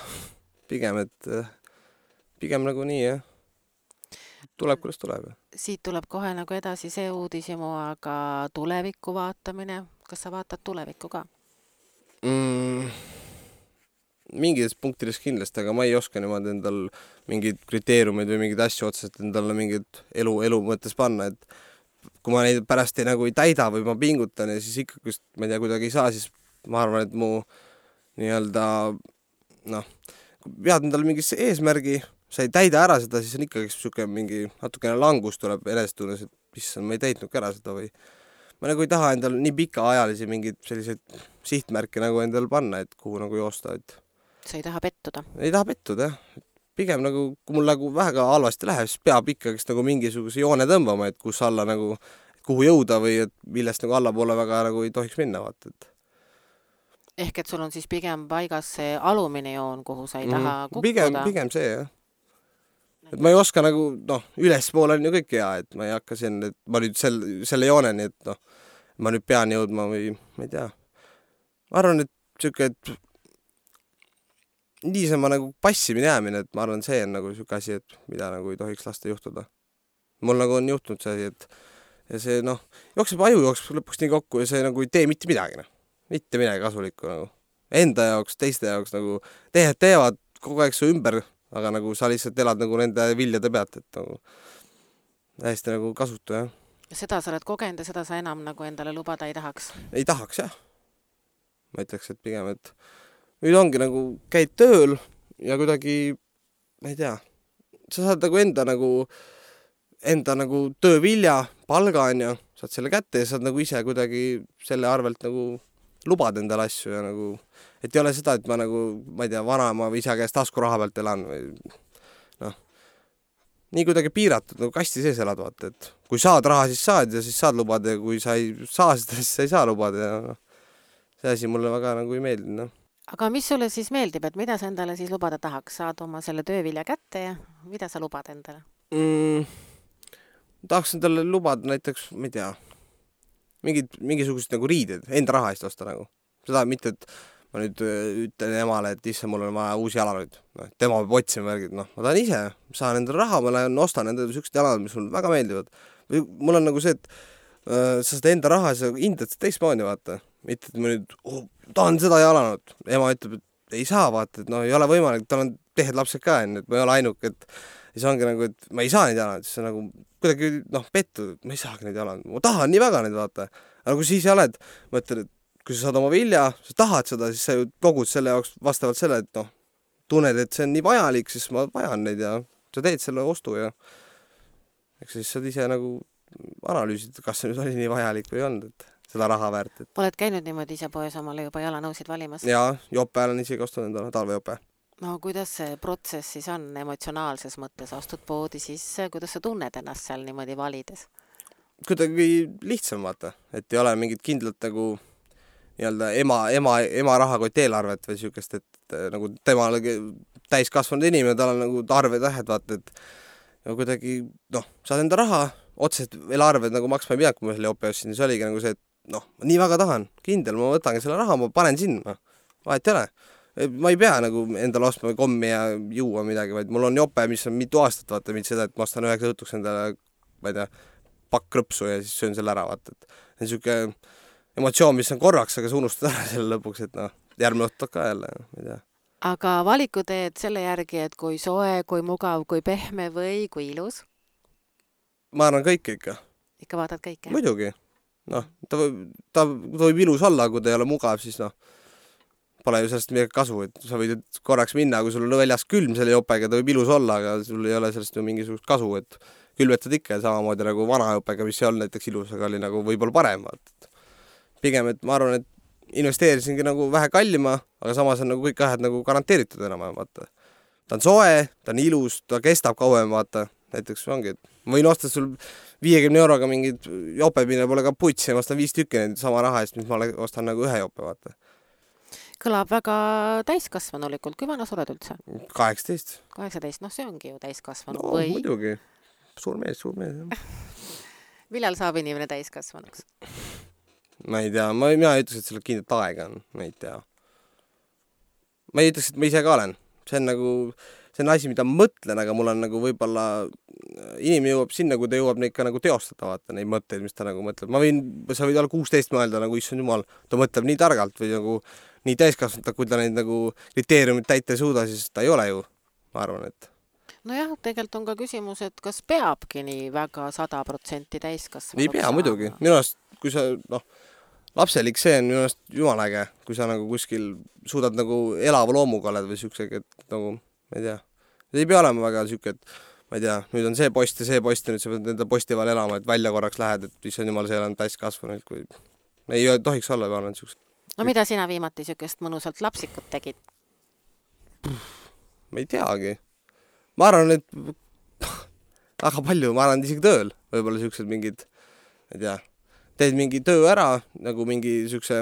Pigem, et pigem nagu nii, jah. Tuleb, kuidas tuleb. Siit tuleb kohe nagu edasi see uudisimu, aga tulevikku vaatamine, kas sa vaatad tulevikku ka? Mm, mingides punktides kindlasti, aga ma ei oska niimoodi endal mingid kriteeriumid või mingid asju otseselt endale mingid elu, elu mõttes panna, et kui ma neid pärast ei, nagu ei täida või ma pingutan ja siis ikkagi, ma ei tea, kuidagi ei saa, siis ma arvan, et mu nii-öelda noh, kui pead endale mingisse eesmärgi, sa ei täida ära seda, siis on ikkagi siuke mingi natukene langus tuleb enestunnes, et issand, ma ei täitnudki ära seda või ma nagu ei taha endal nii pikaajalisi mingid selliseid sihtmärke nagu endal panna, et kuhu nagu joosta, et sa ei taha pettuda? Ei taha pettuda, jah. Pigem nagu, kui mul nagu väga halvasti läheb, siis peab ikkagi nagu mingisuguse joone tõmbama, et kus alla nagu, kuhu jõuda või et millest nagu allapoole väga nagu ei tohiks minna, vaata, et ehk et sul on siis pigem paigas see alumine joon, kuhu sa ei taha kukkuda? Pigem, pigem see, jah. Et ma ei oska nagu, noh, ülespool on ju kõik hea, et ma ei hakka siin, et ma nüüd sel, selle jooneni, et noh, ma nüüd pean jõudma või ma ei tea. Ma arvan, et siuke, et niisama nagu passimine jäämine, et ma arvan, see on nagu siuke asi, et mida nagu ei tohiks lasta juhtuda. Mul nagu on juhtunud see asi, et ja see, noh, jookseb aju jookseb lõpuks nii kokku ja see nagu ei tee mitte midagi, noh. Mitte midagi kasulikku nagu. Enda jaoks, teiste jaoks nagu tehed teevad kogu aeg su ümber, aga nagu sa lihtsalt elad nagu nende viljade pealt, et nagu hästi nagu kasutu, jah. Seda sa oled kogenud ja seda sa enam nagu endale lubada ei tahaks? Ei tahaks, jah. Ma ütleks, et pigem, et nüüd ongi nagu käid tööl ja kuidagi, ma ei tea, sa saad nagu enda nagu enda nagu töövilja, palga on ju, saad selle kätte ja saad nagu ise kuidagi selle arvelt nagu lubad endale asju ja nagu, et ei ole seda, et ma nagu, ma ei tea, vanaema või isa käest tasku raha pealt elan või noh, nii kuidagi piiratud, nagu kasti sees elad, vaata, et kui saad raha, siis saad ja siis saad lubada ja kui sa ei saa seda, siis sa ei saa lubada ja noh, see asi mulle väga nagu ei meeldi, noh. Aga mis sulle siis meeldib, et mida sa endale siis lubada tahaks? Saad oma selle töövilja kätte ja mida sa lubad endale? Mm, tahaks endale lubada näiteks, ma ei tea, mingid, mingisugused nagu riided, enda raha eest osta nagu. Seda mitte, et ma nüüd ütlen emale, et isse, mul on vaja uusi jalalud. No, tema peab otsima värgid, noh, ma tahan ise, saan endale raha, ma lähen, ostan endale siuksed jalalud, mis mulle väga meeldivad. Või mul on nagu see, et äh, sa seda enda raha, sa hindad seda teistmoodi, vaata. Mitte, et ma nüüd oh, tahan seda jalanud. Ema ütleb, et ei saa, vaata, et no ei ole võimalik, tal on tehed lapsed ka, et ma ei ole ainuk, et siis ongi nagu, et ma ei saa neid jalanud, siis on nagu kuidagi, noh, pettu, ma ei saagi neid jalanud. Ma tahan nii väga neid, vaata. Aga kui siis oled, ma ütlen, et kui sa saad oma vilja, sa tahad seda, siis sa ju kogud selle jaoks vastavalt selle, et noh, tunned, et see on nii vajalik, siis ma vajan neid ja sa teed selle ostu ja eks siis saad ise nagu analüüsida, kas see nüüd oli nii vajalik või on, et seda raha väärt. Et oled käinud niimoodi ise poes omale juba jalanõusid valimas? Jaa, jope olen isegi ostanud endale, talvejope. No kuidas see protsess siis on emotsionaalses mõttes? Astud poodi sisse, kuidas sa tunned ennast seal niimoodi valides? Kuidagi lihtsam, vaata, et ei ole mingit kindlat nagu nii-öelda ema, ema, ema rahakott eelarvet või siukest, et nagu tema täis kasvanud inimene, tal on nagu arved tähed, vaata, et ja kuidagi, noh, saad enda raha, otseselt veel arved nagu maksma ei pea, kui ma selle jope ostsin, siis oligi nagu see, et noh, ma nii väga tahan, kindel, ma võtangi selle raha, ma panen sinna. vahet ei ole. Ma ei pea nagu endale ostma kommi ja juua midagi, vaid mul on jope, mis on mitu aastat, vaata, mitte seda, et ma ostan üheks õhtuks endale, ma ei tea, pakk krõpsu ja siis söön selle ära, vaata, et see on siuke emotsioon, mis on korraks, aga sa unustad ära selle lõpuks, et noh, järgmine õhtu ka jälle, ma ei tea. Aga valiku teed selle järgi, et kui soe, kui mugav, kui pehme või kui ilus? Ma arvan kõike ikka. Ikka vaatad kõike? Muidugi. Noh, ta võib, ta võib ilus olla, kui ta ei ole mugav, siis noh, pole ju sellest midagi kasu, et sa võid korraks minna, kui sul on väljas külm selle jopega, ta võib ilus olla, aga sul ei ole sellest ju mingisugust kasu, et külvetad ikka samamoodi nagu vana jopega, mis ei olnud näiteks ilus, aga oli nagu võib-olla parem. Pigem, et ma arvan, et investeerisingi nagu vähe kallima, aga samas on nagu kõik ahed nagu garanteeritud enam, vaata. Ta on soe, ta on ilus, ta kestab kauem, vaata. Näiteks ongi, et ma võin osta sul viiekümne euroga mingid jope, mille pole ka puts ja ma ostan viis tükki neid sama raha eest, mis ma ostan nagu ühe jope, vaata. Kõlab väga täiskasvanulikult. Kui vana sa oled üldse? kaheksateist. kaheksateist, noh see ongi ju täiskasvanu. No või... muidugi. Suur mees, suur mees. Millal saab inimene täiskasvanuks? Ma ei tea, ma, mina ei ütleks, et selle kindlat aega on, ma ei tea. Ma ei ütleks, et ma ise ka olen. See on nagu, see on asi, mida ma mõtlen, aga mul on nagu võib-olla inimene jõuab sinna, kui ta jõuab neid ka nagu teostada, vaata, neid mõtteid, mis ta nagu mõtleb. Ma võin, sa võid olla kuusteist mõelda, nagu issand jumal, ta mõtleb nii targalt või nagu nii täiskasvanud, kui ta neid nagu kriteeriumid täita ei suuda, siis ta ei ole ju, ma arvan, et nojah, tegelikult on ka küsimus, et kas peabki nii väga sada protsenti täiskasvanuks? Ei pea muidugi. Minu arust, kui sa, noh, lapselik see on minu arust jumaläge, kui sa nagu kuskil suudad nagu elava loomuga oled või siuksega, et nagu, ma ei tea, ei pea olema väga siuke, et ma ei tea, nüüd on see post ja see post ja nüüd sa pead nende posti vahel elama, et välja korraks lähed, et mis on jumal, see on täiskasvanud, kui ei tohiks olla, ma arvan, siuksed. No mida sina viimati siukest mõnusalt lapsikut tegid? Ma ei teagi. Ma arvan, et väga palju, ma arvan, isegi tööl, võib-olla siuksed mingid, ma ei tea, teed mingi töö ära, nagu mingi siukse,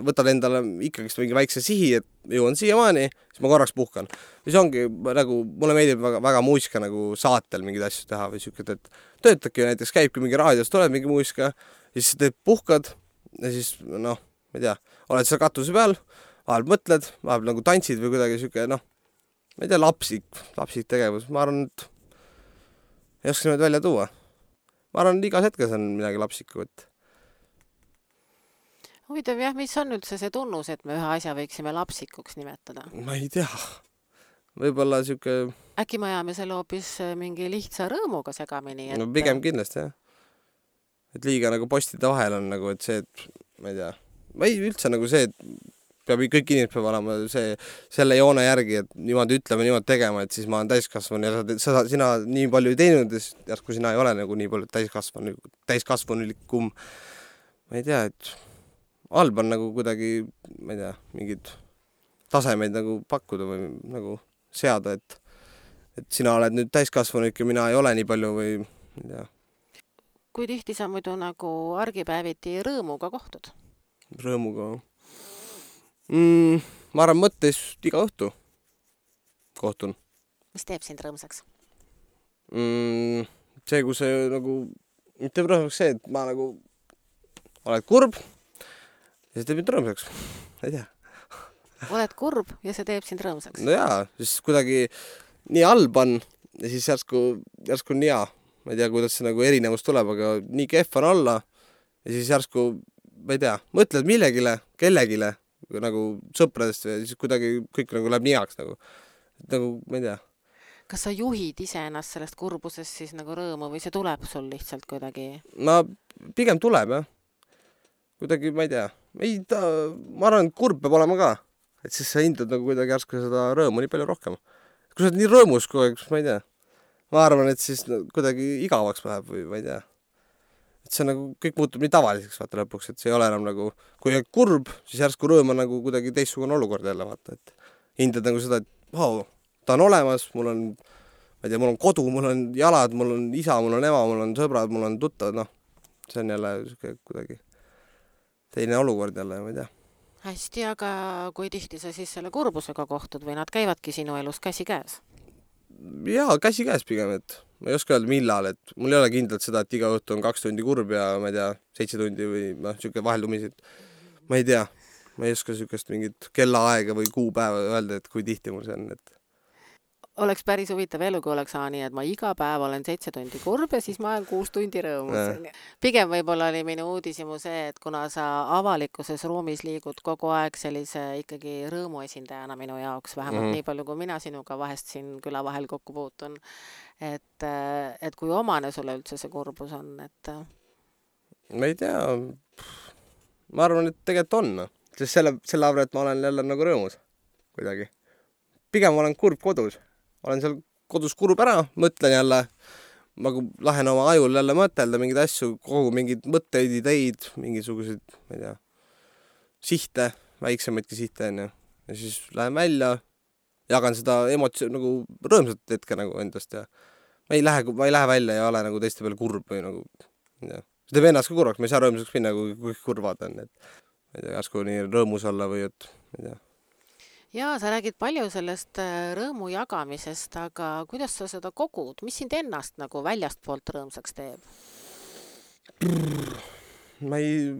võtad endale ikkagist mingi väikse sihi, et jõuan siiamaani, siis ma korraks puhkan. Mis ongi, nagu, mulle meeldib väga, väga muusika nagu saatel mingid asju teha või siuked, et töötadki näiteks, käibki mingi raadios, tuleb mingi muusika, siis teed puhkad ja siis, noh, ma ei tea, oled seal katuse peal, vahel mõtled, vahel nagu tantsid või kuidagi siuke, noh, ma ei tea, lapsik, lapsik tegevus. Ma arvan, et ei oska neid välja tuua. Ma arvan, et igas hetkes on midagi lapsikku, et huvitav jah, mis on üldse see tunnus, et me ühe asja võiksime lapsikuks nimetada? Ma ei tea. Võib-olla siuke äkki me ajame selle hoopis mingi lihtsa rõõmuga segamini, et no pigem kindlasti, jah. Et liiga nagu postide vahel on nagu, et see, et ma ei tea, ma ei üldse nagu see, et peab kõik inimesed peab olema see, selle joone järgi, et niimoodi ütleme, niimoodi tegema, et siis ma olen täiskasvanu ja sa, sa, sina nii palju ei teinud, ja kui sina ei ole nagu nii palju täiskasvanu, täiskasvanulikum, ma ei tea, et halb on nagu kuidagi, ma ei tea, mingid tasemeid nagu pakkuda või nagu seada, et, et sina oled nüüd täiskasvanulik ja mina ei ole nii palju või ma ei tea. Kui tihti sa muidu nagu argipäeviti rõõmuga kohtud? Rõõmuga? Mm, ma arvan mõttes iga õhtu kohtun. Mis teeb sind rõõmsaks? Mm, see, kui see nagu, mitte teeb rõõmsaks see, et ma nagu oled kurb ja see teeb mind rõõmsaks. Ei tea. Oled kurb ja see teeb sind rõõmsaks? No jaa, siis kuidagi nii halb on ja siis järsku, järsku on nii hea. Ma ei tea, kuidas see nagu erinevus tuleb, aga nii kehv on olla ja siis järsku, ma ei tea, mõtled millegile, kellegile, nagu sõpradest ja siis kuidagi kõik nagu läheb nii heaks nagu, nagu, ma ei tea. Kas sa juhid ise ennast sellest kurbusest siis nagu rõõmu või see tuleb sul lihtsalt kuidagi? Ma pigem tuleb, jah. Kuidagi, ma ei tea, ei ta, ma arvan, et kurb peab olema ka, et siis sa hindad nagu kuidagi järsku seda rõõmu nii palju rohkem. Kui sa oled nii rõõmus kogu aeg, ma ei tea. Ma arvan, et siis no, kuidagi igavaks läheb või ma ei tea. Et see nagu, kõik muutub nii tavaliseks vaata lõpuks, et see ei ole enam nagu, kui oled kurb, siis järsku rõõm on nagu kuidagi teistsugune olukord jälle vaata, et hindad nagu seda, et wow, ta on olemas, mul on, ma ei tea, mul on kodu, mul on jalad, mul on isa, mul on ema, mul on sõbrad, mul on tuttavad, noh, see on jälle kuidagi teine olukord jälle, ma ei tea. Hästi, aga kui tihti sa siis selle kurbusega kohtud või nad käivadki sinu elus käsi käes? Jaa, käsi käes pigem, et ma ei oska öelda millal, et mul ei ole kindlalt seda, et iga õhtu on kaks tundi kurb ja ma ei tea, seitse tundi või noh, siuke vaheldumisi, et ma ei tea. ma ei oska sükest mingit kellaaega või kuupäeva öelda, et kui tihti mul see on, et Oleks päris huvitav elu, kui oleks aa nii, et ma iga päev olen seitse tundi kurb ja siis ma olen kuus tundi rõõmus. Pigem võib-olla oli minu uudisimu see, et kuna sa avalikkuses ruumis liigud kogu aeg sellise ikkagi rõõmu esindajana minu jaoks, vähemalt mm -hmm. nii palju, kui mina sinuga vahest siin küla vahel kokku puutun, et, et kui omane sulle üldse see kurbus on, et ma ei tea, ma arvan, et tegelikult on, sest selle, selle arvan, et ma olen jälle nagu rõõmus kuidagi. Pigem olen kurb kodus. Olen seal kodus kurb ära, mõtlen jälle, ma lähen oma ajul jälle mõtelda mingeid asju, kogu mingeid mõtteid, ideid, mingisuguseid, ma ei tea, sihte, väiksemaidki sihte enne. Ja siis lähen välja, jagan seda emotsio, nagu rõõmsat hetke nagu endast ja ma ei lähe, ma ei lähe välja ja ole nagu teiste peale kurb või nagu, ma ei tea. See teeb ennast ka kurvaks, ma ei saa rõõmsaks minna, kui, kui kurvad on, et ma ei tea, järsku nii rõõmus olla või et, ma ei tea. Jaa, sa räägid palju sellest rõõmu jagamisest, aga kuidas sa seda kogud? Mis sind ennast nagu väljast poolt rõõmsaks teeb? Ma ei...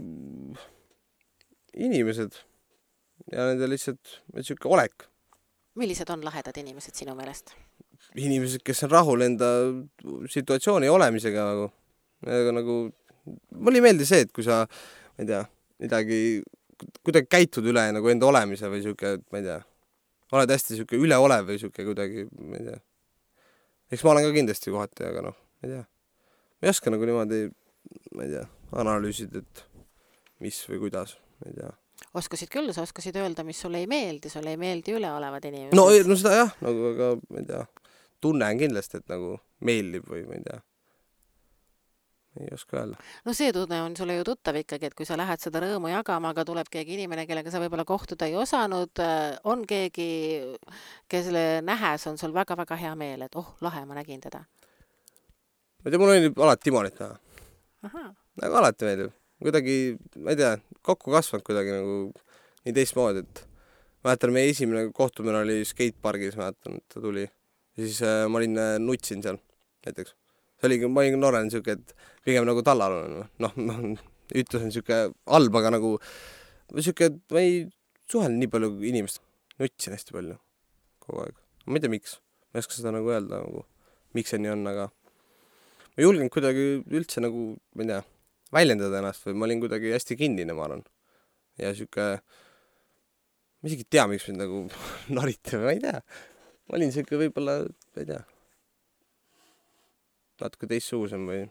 Inimesed ja nende lihtsalt siuke olek. Millised on lahedad inimesed sinu meelest? Inimesed, kes on rahul enda situatsiooni olemisega nagu. nagu mulle ei meeldi see, et kui sa, ma ei tea, midagi... kuidagi käitud üle nagu enda olemise või siuke, ma ei tea, oled hästi siuke üleolev või siuke kuidagi, ma ei tea. Eks ma olen ka kindlasti kohati, aga noh, ma ei tea. Ma ei oska nagu niimoodi, ma ei tea, analüüsid, et mis või kuidas, ma ei tea. Oskasid küll, sa oskasid öelda, mis sulle ei meeldi, sulle ei meeldi üleolevad inimesed. No, no seda jah, nagu, aga ma ei tea, tunnen kindlasti, et nagu meeldib või ma ei tea. Ei oska öelda. No see tunne on sulle ju tuttav ikkagi, et kui sa lähed seda rõõmu jagama, aga tuleb keegi inimene, kellega sa võib-olla kohtuda ei osanud, on keegi, kelle nähes on sul väga-väga hea meel, et oh, lahe, ma nägin teda. Ma ei tea, mul oli alati Timonit näha. Aha. Nagu alati meeldib. Kuidagi, ma ei tea, kokku kasvanud kuidagi nagu nii teistmoodi, et mäletan, meie esimene kohtumine oli skatepargis, mäletan, et ta tuli. Ja siis äh, ma olin äh, nutsin seal näiteks. See oligi, ma olin noorena siuke, et pigem nagu tallal on. Noh, noh, ütlus on siuke halb, aga nagu siuke, et ma ei suhelnud nii palju inimest. Nutsin hästi palju kogu aeg. Ma ei tea, miks. Ma ei oska seda nagu öelda, nagu, miks see nii on, aga ma julgen kuidagi üldse nagu, ma ei tea, väljendada ennast või ma olin kuidagi hästi kinnine, ma arvan. Ja siuke, ma isegi tea, miks mind nagu nariti, ma ei tea. Ma olin siuke võib-olla, ma ei tea, natuke teistsugusem või...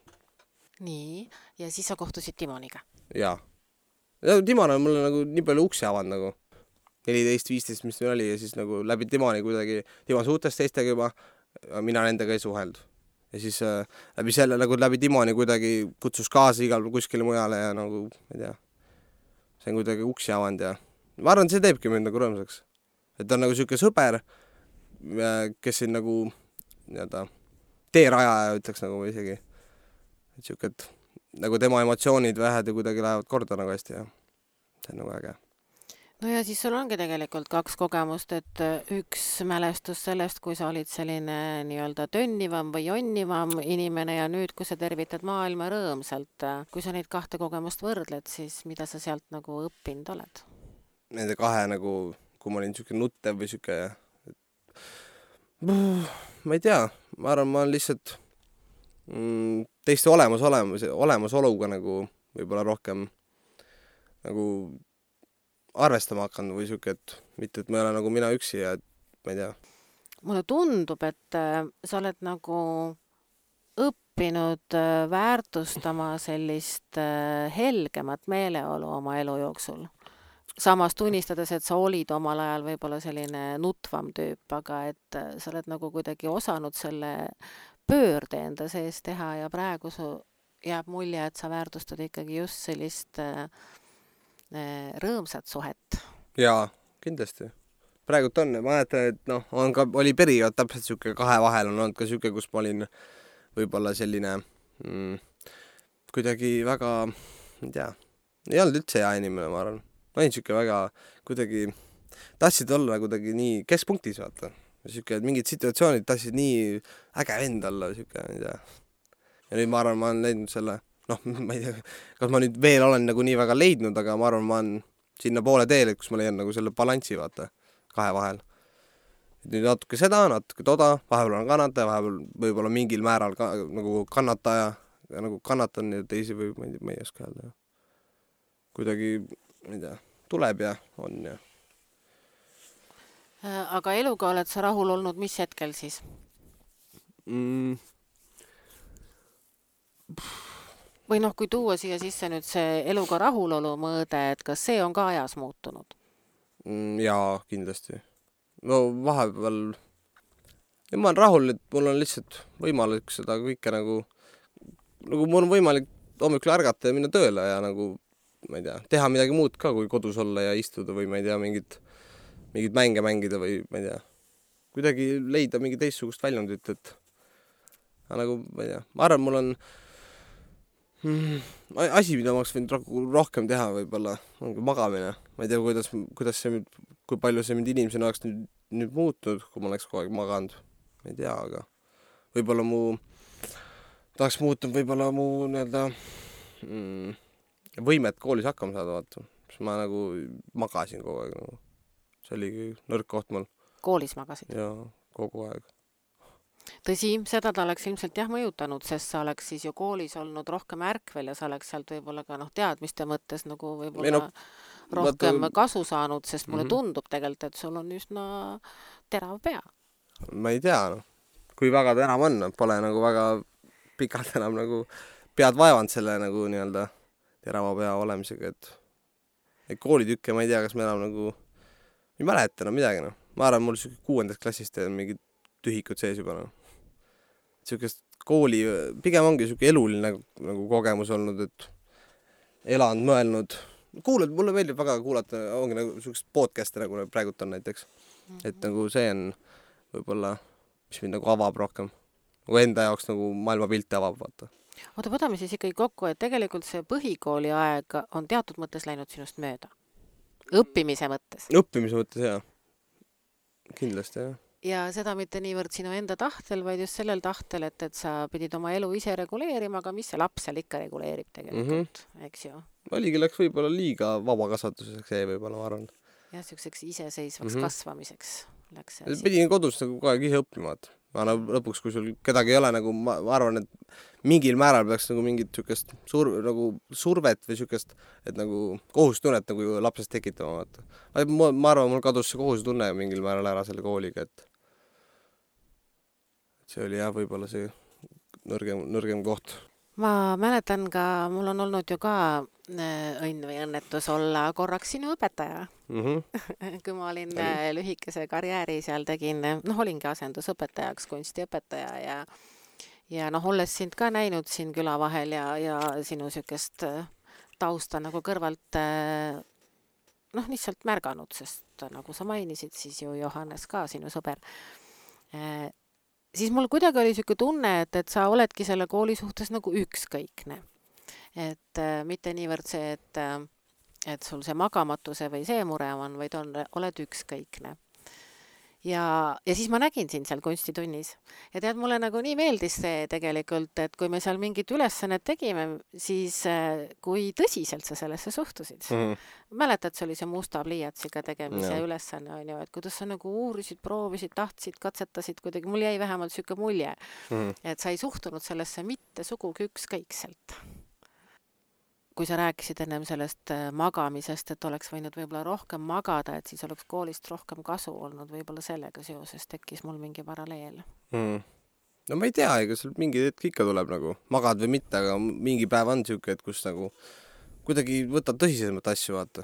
Nii, ja siis sa kohtusid Timoniga? Jaa. Ja Timon on mulle nagu nii palju uksi avanud nagu neliteist viisteist, mis meil oli ja siis nagu läbi Timoni kuidagi, Timon suhtes teistega juba, mina nendega ei suheldu. Ja siis äh, läbi selle nagu läbi Timoni kuidagi kutsus kaasa igal kuskile mujale ja nagu, ma ei tea, see on kuidagi uksi avanud ja ma arvan, see teebki mind nagu rõõmsaks. Et ta on nagu siuke sõber, kes siin nagu nii-öelda teerajaja ütleks nagu isegi. Et siuke, et nagu tema emotsioonid vähed ja kuidagi lähevad korda nagu hästi ja see on nagu äge. No ja siis sul ongi tegelikult kaks kogemust, et üks mälestus sellest, kui sa olid selline nii-öelda tönnivam või jonnivam inimene ja nüüd, kui sa tervitad maailma rõõmsalt, kui sa neid kahte kogemust võrdled, siis mida sa sealt nagu õppinud oled? Nende kahe nagu, kui ma olin siuke nuttev või siuke, ma ei tea, ma arvan, ma olen lihtsalt mm, teiste olemas, olemas, olemasoluga nagu võib-olla rohkem nagu arvestama hakanud või siuke, et mitte, et ma ei ole nagu mina üksi ja et ma ei tea. Mulle tundub, et äh, sa oled nagu õppinud äh, väärtustama sellist äh, helgemat meeleolu oma elu jooksul. Samas tunnistades, et sa olid omal ajal võib-olla selline nutvam tüüp, aga et sa oled nagu kuidagi osanud selle pöörde enda sees teha ja praegu su jääb mulje, et sa väärtustad ikkagi just sellist äh, rõõmsat suhet. Jaa, kindlasti. Praegult on, ma mäletan, et noh, on ka, oli periood täpselt siuke kahe vahel on olnud ka siuke, kus ma olin võib-olla selline mm, kuidagi väga, ei tea, ei olnud üldse hea inimene, ma arvan. Ma olin siuke väga kuidagi, tahtsid olla kuidagi nii keskpunktis, vaata. Siuke, et mingid situatsioonid tahtsid nii äge vend olla, siuke, ei tea. Ja nüüd ma arvan, ma olen leidnud selle, noh, ma ei tea, kas ma nüüd veel olen nagu nii väga leidnud, aga ma arvan, ma olen sinna poole teele, kus ma leian nagu selle balanssi, vaata, kahe vahel. Nüüd natuke seda, natuke toda, vahepeal on kannataja, vahepeal võib-olla mingil määral ka, nagu kannataja, nagu kannatan ja teisi või ma ei, ma ei oska öelda. Kuidagi, ma ei tea, tuleb ja on ja. Aga eluga oled sa rahul olnud mis hetkel siis? Mm. Või noh, kui tuua siia sisse nüüd see eluga rahulolu mõõde, et kas see on ka ajas muutunud? Mm, jaa, kindlasti. No vahepeal ja ma olen rahul, et mul on lihtsalt võimalik seda kõike nagu nagu mul on võimalik hommikul ärgata ja minna tööle ja nagu, ma ei tea, teha midagi muud ka, kui kodus olla ja istuda või ma ei tea, mingid, mingid mänge mängida või ma ei tea, kuidagi leida mingi teistsugust väljundit, et nagu, ma ei tea, ma arvan, mul on mm, asi, mida ma oleks võinud rohkem teha võib-olla, on magamine. Ma ei tea, kuidas, kuidas see, kui palju see mind inimesena oleks nüüd, nüüd muutunud, kui ma oleks kogu aeg maganud. Ma ei tea, aga võib-olla mu tahaks muutunud võib-olla mu nii-öelda mm, võimet koolis hakkama saada, vaata. Ma nagu magasin kogu aeg. Nagu. See oligi nõrk koht mul. Koolis magasid? Jaa, kogu aeg. Tõsi, seda ta oleks ilmselt jah mõjutanud, sest sa oleks siis ju koolis olnud rohkem ärkvel ja sa oleks sealt võib-olla ka noh, teadmiste mõttes nagu võib-olla no, rohkem vaata... kasu saanud, sest mulle mm -hmm. tundub tegelikult, et sul on üsna terav pea. Ma ei tea, no. Kui väga ta enam on, pole nagu väga pikalt enam nagu pead vaevanud selle nagu nii-öelda terava pea olemisega, et, et koolitükke ma ei tea, kas me enam nagu ei mäleta enam midagi, no. Ma arvan, mul kuuendast klassist on mingid tühikud sees juba, no. Siukest kooli, pigem ongi siuke eluline nagu, nagu kogemus olnud, et elanud, mõelnud. Kuulad, mulle meeldib väga kuulata, ongi nagu siukest podcast'e nagu praegult on näiteks. Mm -hmm. Et nagu see on võib-olla, mis mind nagu avab rohkem. Nagu enda jaoks nagu maailmapilte avab, vaata. Oota, võtame siis ikkagi kokku, et tegelikult see põhikooli aeg on teatud mõttes läinud sinust mööda. Õppimise mõttes. Õppimise mõttes, jah. Kindlasti, jah. Ja seda mitte niivõrd sinu enda tahtel, vaid just sellel tahtel, et, et sa pidid oma elu ise reguleerima, aga mis see laps seal ikka reguleerib tegelikult, mm -hmm. eks ju? Oligi läks võib-olla liiga vabakasvatuseks, see võib-olla, ma arvan. Jah, siukseks iseseisvaks mm -hmm. kasvamiseks läks see asi. Pidin kodus nagu kogu aeg ise õppima, et ma lõpuks, kui sul kedagi ei ole, nagu ma, ma arvan, et mingil määral peaks nagu mingit siukest sur, nagu survet või siukest, et nagu kohustunnet nagu lapsest tekitama, vaata. Ma, ma arvan, mul kadus see kohustunne mingil määral ära selle kooliga, et see oli jah, võib-olla see nõrgem, nõrgem koht. Ma mäletan ka, mul on olnud ju ka õnn või õnnetus olla korraks sinu õpetaja. Mm -hmm. Kui ma olin oli. lühikese karjääri seal tegin, noh, olingi asendusõpetajaks, kunstiõpetaja ja, ja noh, olles sind ka näinud siin küla vahel ja, ja sinu siukest tausta nagu kõrvalt noh, lihtsalt märganud, sest nagu sa mainisid, siis ju Johannes ka sinu sõber. Siis mul kuidagi oli siuke tunne, et, et sa oledki selle kooli suhtes nagu ükskõikne. Et äh, mitte niivõrd see, et, äh, et sul see magamatuse või see mure on, vaid on, oled ükskõikne. Ja, ja siis ma nägin sind seal kunstitunnis. Ja tead, mulle nagu nii meeldis see tegelikult, et kui me seal mingit ülesannet tegime, siis äh, kui tõsiselt sa sellesse suhtusid. Mm -hmm. Mäletad, see oli see musta pliiatsiga tegemise ja. ülesanne, on ju, et kuidas sa nagu uurisid, proovisid, tahtsid, katsetasid kuidagi. Mul jäi vähemalt siuke mulje, mm -hmm. et sa ei suhtunud sellesse mitte sugugi ükskõikselt. Kui sa rääkisid ennem sellest magamisest, et oleks võinud võib-olla rohkem magada, et siis oleks koolist rohkem kasu olnud, võib-olla sellega seoses tekkis mul mingi paralleel. Mm. No ma ei tea, ega seal mingi hetk ikka tuleb nagu magad või mitte, aga mingi päev on siuke, et kus nagu kuidagi võtad tõsisemalt asju, vaata.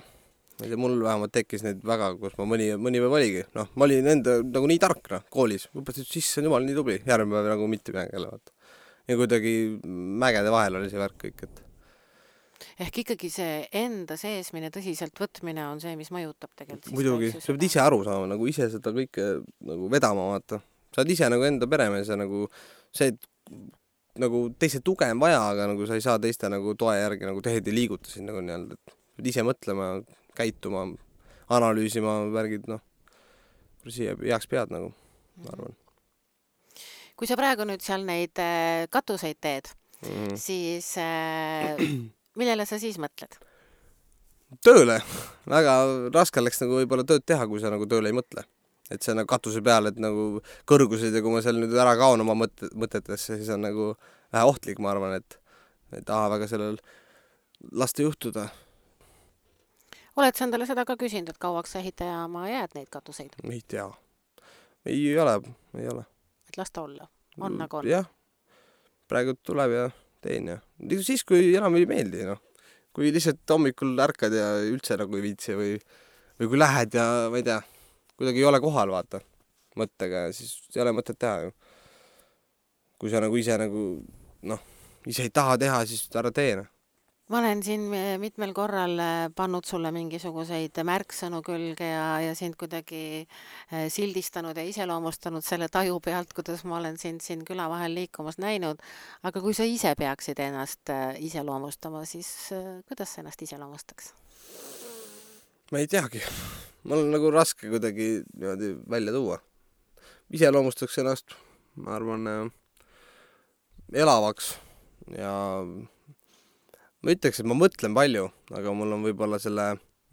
Ma ei tea, mul vähemalt tekkis neid väga, kus ma mõni, mõni päev oligi. Noh, ma olin enda nagu nii tark, noh, koolis. Õpetasid sisse, jumal, nii tubli. Järgmine päev nagu mitte mängele, vaata. Ja kuidagi mägede vahel oli see värk kõik, et ehk ikkagi see enda seesmine tõsiselt võtmine on see, mis mõjutab tegelikult. Muidugi, sa pead ise aru saama, nagu ise seda kõike nagu vedama, vaata. Sa oled ise nagu enda peremees ja nagu see, et nagu teiste tuge on vaja, aga nagu sa ei saa teiste nagu toe järgi nagu tehed ei liiguta siin nagu nii-öelda, et pead ise mõtlema, käituma, analüüsima värgid, noh, siia heaks pead nagu, ma arvan. Kui sa praegu nüüd seal neid katuseid teed, mm -hmm. siis äh, millele sa siis mõtled? tööle. Väga raske läks nagu võib-olla tööd teha, kui sa nagu tööle ei mõtle. Et see nagu katuse peal, et nagu kõrgused ja kui ma seal nüüd ära kaon oma mõt- mõtetesse, siis on nagu vähe ohtlik, ma arvan, et ei taha väga sellel lasta juhtuda. Oled sa endale seda ka küsinud, et kauaks sa ehitajaama jääd neid katuseid? Ei tea. Ei ole, ei ole. Et lasta olla? On nagu on? Jah. Praegu tuleb ja teen ja. Siis, kui enam ei meeldi, noh. Kui lihtsalt hommikul ärkad ja üldse nagu ei viitsi või, või kui lähed ja ma ei tea, kuidagi ei ole kohal, vaata, mõttega, siis ei ole mõtet teha ju. Kui sa nagu ise nagu, noh, ise ei taha teha, siis ära tee. Ma olen siin mitmel korral pannud sulle mingisuguseid märksõnu külge ja, ja sind kuidagi sildistanud ja iseloomustanud selle taju pealt, kuidas ma olen sind siin küla vahel liikumas näinud. Aga kui sa ise peaksid ennast iseloomustama, siis kuidas sa ennast iseloomustaks? Ma ei teagi. Mul on nagu raske kuidagi niimoodi välja tuua. Iseloomustaks ennast, ma arvan, elavaks ja ma ütleks, et ma mõtlen palju, aga mul on võib-olla selle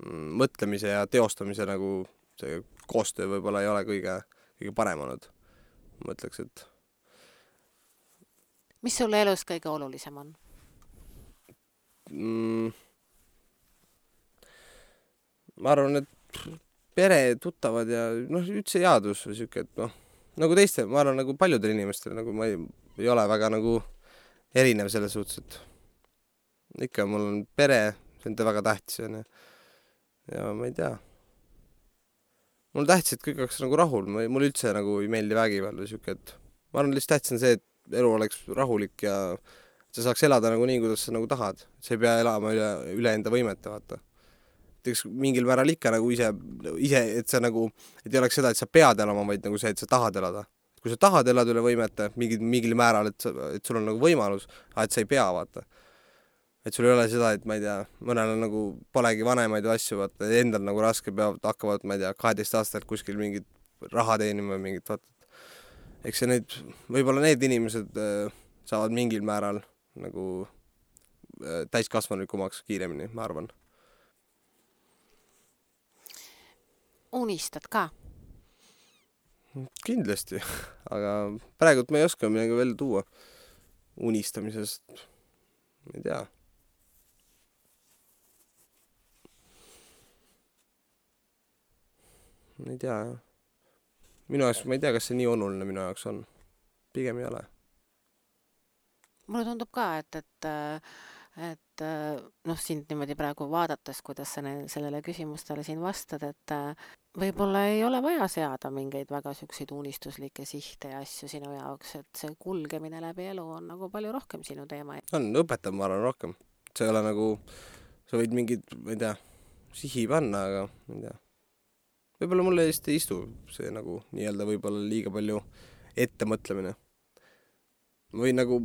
mõtlemise ja teostamise nagu see koostöö võib-olla ei ole kõige, kõige parem olnud. Ma mõtleks, et... Mis sulle elus kõige olulisem on? Mm, ma arvan, et pere, tuttavad ja noh, üldse jaadus või siuke, et noh, nagu teiste, ma arvan, nagu paljudel inimestel, nagu ma ei, ei ole väga nagu erinev selles suhtes, et ikka mul on pere, see on väga tähtis ja, ja ma ei tea. Mul on tähtis, et kõik oleks nagu rahul, mul üldse nagu ei meeldi vägivald või siuke, et ma arvan, lihtsalt tähtis on see, et elu oleks rahulik ja sa saaks elada nagu nii, kuidas sa nagu tahad. Sa ei pea elama üle, üle enda võimete, vaata. Eks mingil määral ikka nagu ise, ise, et sa nagu, et ei oleks seda, et sa pead elama, vaid nagu see, et sa tahad elada. Kui sa tahad elada üle võimete, mingil, mingil määral, et, sa, et sul on nagu võimalus, et sa ei pea, vaata. Et sul ei ole seda, et ma ei tea, mõnel on nagu polegi vanemaid ja asju, vaata, endal nagu raske peavad, hakkavad, ma ei tea, kaheteist aastalt kuskil mingit raha teenima mingit, vaata. Eks see need, võib-olla need inimesed äh, saavad mingil määral nagu äh, täiskasvanulikumaks kiiremini, ma arvan. Unistad ka? Kindlasti, aga praegult ma ei oska midagi veel tuua unistamisest, ma ei tea. Ma ei tea, jah. Minu jaoks, ma ei tea, kas see nii oluline minu jaoks on. Pigem ei ole. Mulle tundub ka, et, et, et noh, sind niimoodi praegu vaadates, kuidas sa sellele küsimustele siin vastad, et võib-olla ei ole vaja seada mingeid väga süükseid unistuslikke sihte ja asju sinu jaoks, et see kulgemine läbi elu on nagu palju rohkem sinu teema. On, õpetab, ma arvan, rohkem. See ei ole nagu, sa võid mingid, ma ei tea, sihi panna, aga ma ei tea. Võib-olla mulle just ei istu see nagu nii-öelda võib-olla liiga palju ettemõtlemine. Ma võin nagu,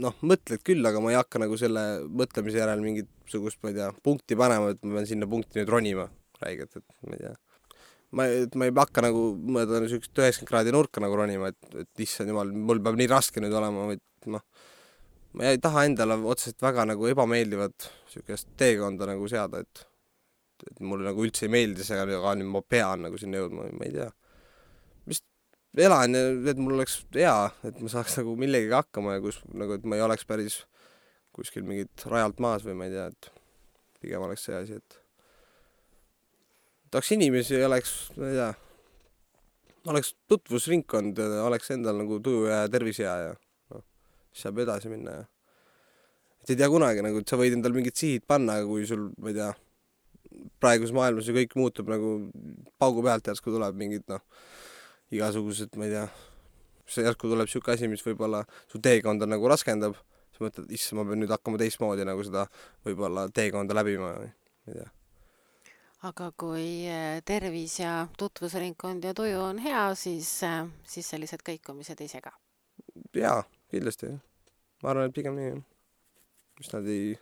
noh, mõtled küll, aga ma ei hakka nagu selle mõtlemise järel mingit sugust, ma ei tea, punkti panema, et ma pean sinna punkti nüüd ronima räigelt, et ma ei tea. Ma, et ma ei hakka nagu mõelda sükest üheksakümmend kraadi nurka nagu ronima, et, et issand jumal, mul peab nii raske nüüd olema, vaid noh, ma ei taha endale otseselt väga nagu ebameeldivat sükest teekonda nagu seada, et et mulle nagu üldse ei meeldi see, aga nüüd ma pean nagu sinna jõudma, ma ei tea. Vist elan ja et mul oleks hea, et ma saaks nagu millegagi hakkama ja kus, nagu, et ma ei oleks päris kuskil mingit rajalt maas või ma ei tea, et pigem oleks see asi, et tahaks inimesi ja oleks, ma ei tea, oleks tutvusringkond ja oleks endal nagu tuju ja tervis hea ja noh, siis saab edasi minna ja et ei tea kunagi nagu, et sa võid endal mingid sihid panna, aga kui sul, ma ei tea, praegus maailmas ju kõik muutub nagu paugu pealt järsku tuleb mingid, noh, igasugused, ma ei tea, see järsku tuleb siuke asi, mis võib-olla su teekonda nagu raskendab, sa mõtled, issa, ma pean nüüd hakkama teistmoodi nagu seda võib-olla teekonda läbima, ma ei tea. Aga kui tervis ja tutvusringkond ja tuju on hea, siis, siis sellised kõikumised ei sega? Jaa, kindlasti. Ma arvan, et pigem nii, mis nad ei,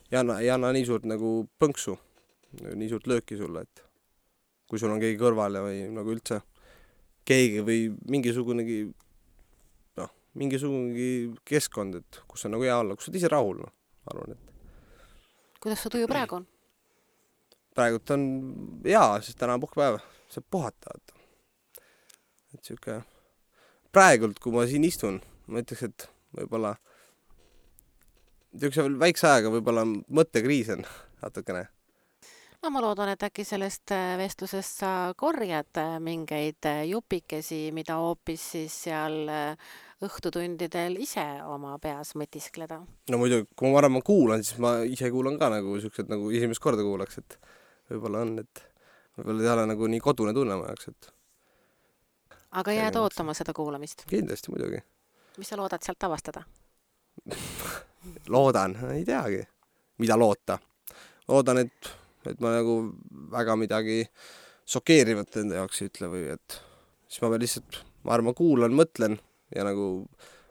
ei anna, ei anna nii suurt nagu põnksu, nii suurt lööki sulle, et kui sul on keegi kõrval ja või nagu üldse keegi või mingisugunegi, noh, mingisugunegi keskkond, et kus on nagu hea olla, kus on ise rahul, noh, arvan, et. Kuidas su tuju praegu on? praegult on jaa, sest täna on puhkepäev, saab puhata. Et siuke praegult, kui ma siin istun, ma ütleks, et võib-olla niisuguse väikse ajaga võib-olla mõttekriis on natukene. No ma loodan, et äkki sellest vestlusest sa korjad mingeid jupikesi, mida hoopis siis seal õhtutundidel ise oma peas mõtiskleda. No muidu, kui ma varem kuulan, siis ma ise kuulan ka nagu siuksed nagu esimest korda kuulaks, et võib-olla on, et võib-olla ei ole nagu nii kodune tunne ma jaoks, et aga jääd ootama seda kuulamist? Kindlasti muidugi. Mis sa loodad sealt avastada? Loodan, ei teagi, mida loota. Loodan, et, et ma nagu väga midagi šokeerivat enda jaoks ei ütle või et siis ma pean lihtsalt, ma arvan, kuulan, mõtlen ja nagu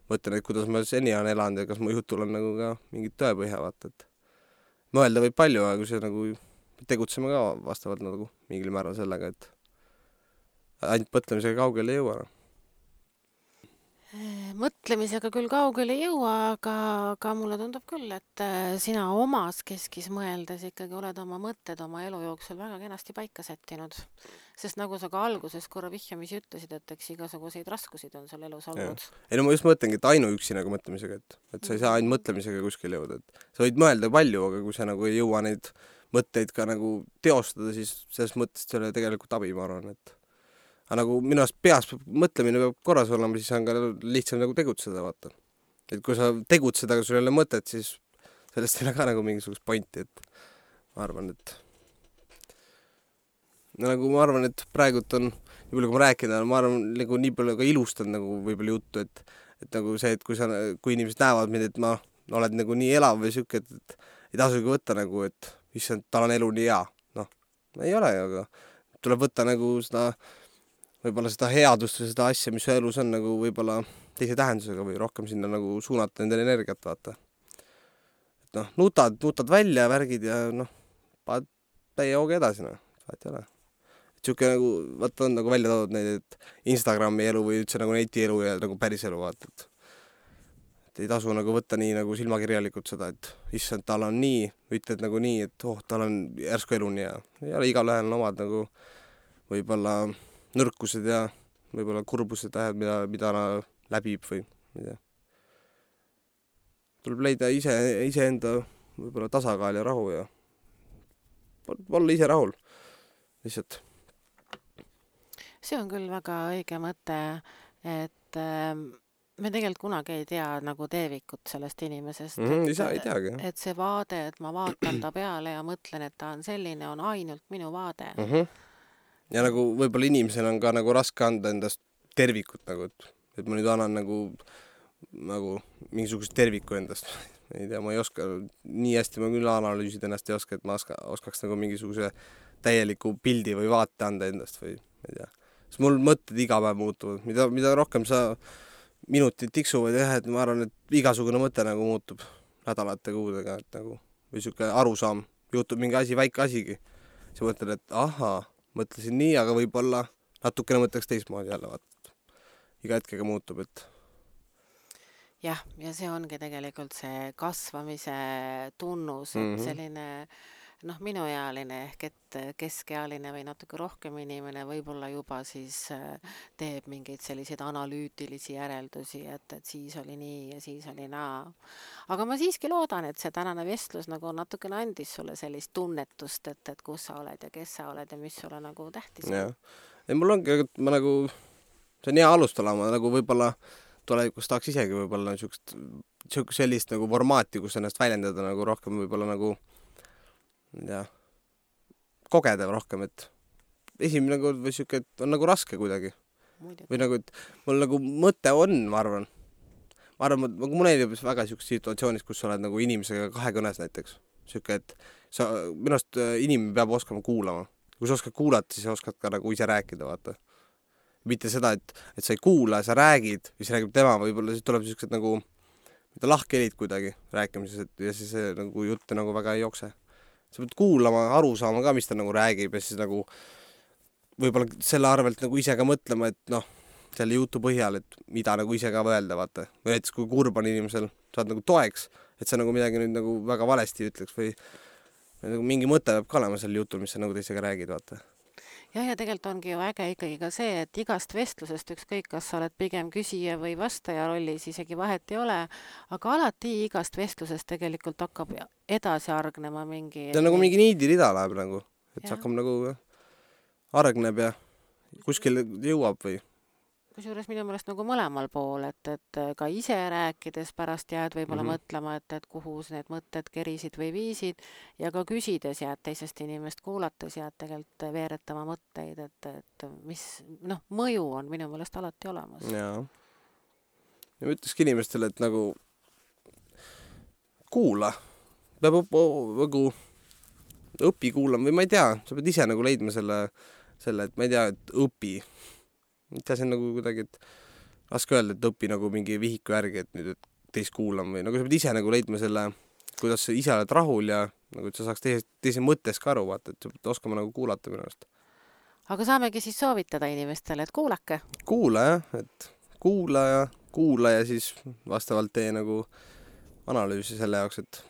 mõtlen, et kuidas ma seni on elanud ja kas mu jutul on nagu ka mingit tõepõhja vaata, et mõelda võib palju, aga kui see nagu tegutseme ka vastavalt nagu mingil määral sellega, et ainult mõtlemisega kaugele ei jõua. Mõtlemisega küll kaugele ei jõua, aga, aga mulle tundub küll, et sina omas keskis mõeldes ikkagi oled oma mõtted oma elu jooksul väga kenasti paika sättinud. Sest nagu sa ka alguses korra vihjamisi ütlesid, et eks igasuguseid raskusid on sul elus olnud. Ei no ma just mõtlengi, et ainuüksi nagu mõtlemisega, et, et sa ei saa ainult mõtlemisega kuskil jõuda. Et sa võid mõelda palju, aga kui sa nagu ei jõua neid mõtteid ka nagu teostada, siis selles mõttes see ole tegelikult abi, ma arvan, et aga nagu minu arust peas mõtlemine peab korras olema, siis on ka lihtsam nagu tegutseda, vaata. Et kui sa tegutsed, aga sul ei ole mõtet, siis sellest ei ole ka nagu mingisugust pointi, et ma arvan, et no, nagu ma arvan, et praegult on, nii palju kui ma rääkida, ma arvan, nagu nii palju ka ilustan nagu võib-olla juttu, et, et nagu see, et kui sa, kui inimesed näevad mind, et ma oled nagu nii elav või siuke, et, et ei tasugi võtta nagu, et issand, tal on elu nii hea. Noh, ei ole, aga tuleb võtta nagu seda võib-olla seda headust või seda asja, mis su elus on nagu võib-olla teise tähendusega või rohkem sinna nagu suunata endale energiat, vaata. Et noh, nutad, nutad välja värgid ja noh, paad täie hooga edasi, noh, vaat ei ole. Et siuke nagu, vaata on nagu välja toodud neid, et Instagrami elu või üldse nagu neti elu ja nagu päris elu, vaata, et, et ei tasu nagu võtta nii nagu silmakirjalikult seda, et issand, tal on nii, ütled nagu nii, et oh, tal on järsku elu nii ja ei ole igal ühel omad nagu võib-olla nõrkused ja võib-olla kurbused tähed, mida, mida läbib või mida. Tuleb leida ise, ise enda võib-olla tasakaal ja rahu ja olla ise rahul. Lihtsalt. See on küll väga õige mõte, et me tegelikult kunagi ei tea nagu teevikut sellest inimesest. Mm-hmm, et, ei saa, ei teagi. Et see vaade, et ma vaatan ta peale ja mõtlen, et ta on selline, on ainult minu vaade. Mm-hmm. Ja nagu võib-olla inimesel on ka nagu raske anda endast tervikut nagu, et, et ma nüüd annan nagu, nagu mingisugust terviku endast. Ei tea, ma ei oska, nii hästi ma küll analüüsida ennast ei oska, et ma oska, oskaks nagu mingisuguse täieliku pildi või vaate anda endast või ei tea. Sest mul mõtted iga päev muutuvad, mida, mida rohkem sa minutid tiksuvad ja et ma arvan, et igasugune mõte nagu muutub nädalate kuudega, et nagu või siuke arusaam, juhtub mingi asi, väike asigi. Sa mõtled, et ahaa, mõtlesin nii, aga võib-olla natukene mõtleks teistmoodi jälle, vaat. Iga hetkega muutub, et jah, ja see ongi tegelikult see kasvamise tunnus, et mm-hmm. selline noh, minuealine ehk et keskealine või natuke rohkem inimene võib-olla juba siis teeb mingeid selliseid analüütilisi järeldusi, et, et siis oli nii ja siis oli naa. Aga ma siiski loodan, et see tänane vestlus nagu natukene andis sulle sellist tunnetust, et, et kus sa oled ja kes sa oled ja mis sulle nagu tähtis on. Ja. Ja mul ongi, et ma nagu, see on hea alustada, ma nagu võib-olla tulevikus tahaks isegi võib-olla niisugust, sellist nagu formaati, kus ennast väljendada nagu rohkem võib-olla nagu ja kogeda rohkem, et esimene kord või siuke, et on nagu raske kuidagi. Muidugi. Või nagu, et mul nagu mõte on, ma arvan. Ma arvan, et mul ei ole väga siukses situatsioonis, kus sa oled nagu inimesega kahekõnes näiteks. Siuke, et sa, minust inimene peab oskama kuulama. Kui sa oskad kuulata, siis oskad ka nagu ise rääkida, vaata. Mitte seda, et, et sa ei kuula, sa räägid, või sa räägib tema, võib-olla siis tuleb siuksed nagu lahkelid kuidagi rääkimises, et ja siis see nagu jutte nagu väga ei jookse. Sa pead kuulama, aru saama ka, mis ta nagu räägib ja siis nagu võib-olla selle arvelt nagu ise ka mõtlema, et noh, selle jutu põhjal, et mida nagu ise ka öelda, vaata. Või näiteks kui kurb on inimesel, saad nagu toeks, et sa nagu midagi nüüd nagu väga valesti ütleks või mingi mõte peab ka olema sel jutul, mis sa nagu teisega räägid, vaata. jah, ja tegelikult ongi ju äge ikkagi ka see, et igast vestlusest ükskõik, kas sa oled pigem küsija või vastaja rollis, isegi vahet ei ole, aga alati igast vestlusest tegelikult hakkab edasi argnema mingi... See on nagu mingi niidirida läheb nagu, et see Jah. hakkab nagu argneb ja kuskil jõuab või... Kusjuures minu meelest nagu mõlemal pool, et, et ka ise rääkides pärast jääd võib-olla Mhm. mõtlema, et, et kuhu need mõtted kerisid või viisid ja ka küsides jääd teisest inimest kuulates jääd tegelikult veeretama mõtteid, et, et mis, noh, mõju on minu meelest alati olemas. Jaa. Ja ma ütlekski inimestele, et nagu kuula. Peab õp- nagu õpi kuulama või ma ei tea, sa pead ise nagu leidma selle, selle, et ma ei tea, et õpi. Mitte see on nagu kuidagi, et raske öelda, et õpi nagu mingi vihiku järgi, et nüüd et teist kuulama või nagu sa pead ise nagu leidma selle, kuidas sa ise oled rahul ja nagu et sa saaks teise, teise mõttes ka aru, vaata, et sa pead oskama nagu kuulata minu arust. Aga saamegi siis soovitada inimestele, et kuulake. Kuula jah, et kuula ja kuula ja siis vastavalt tee nagu analüüsi selle jaoks, et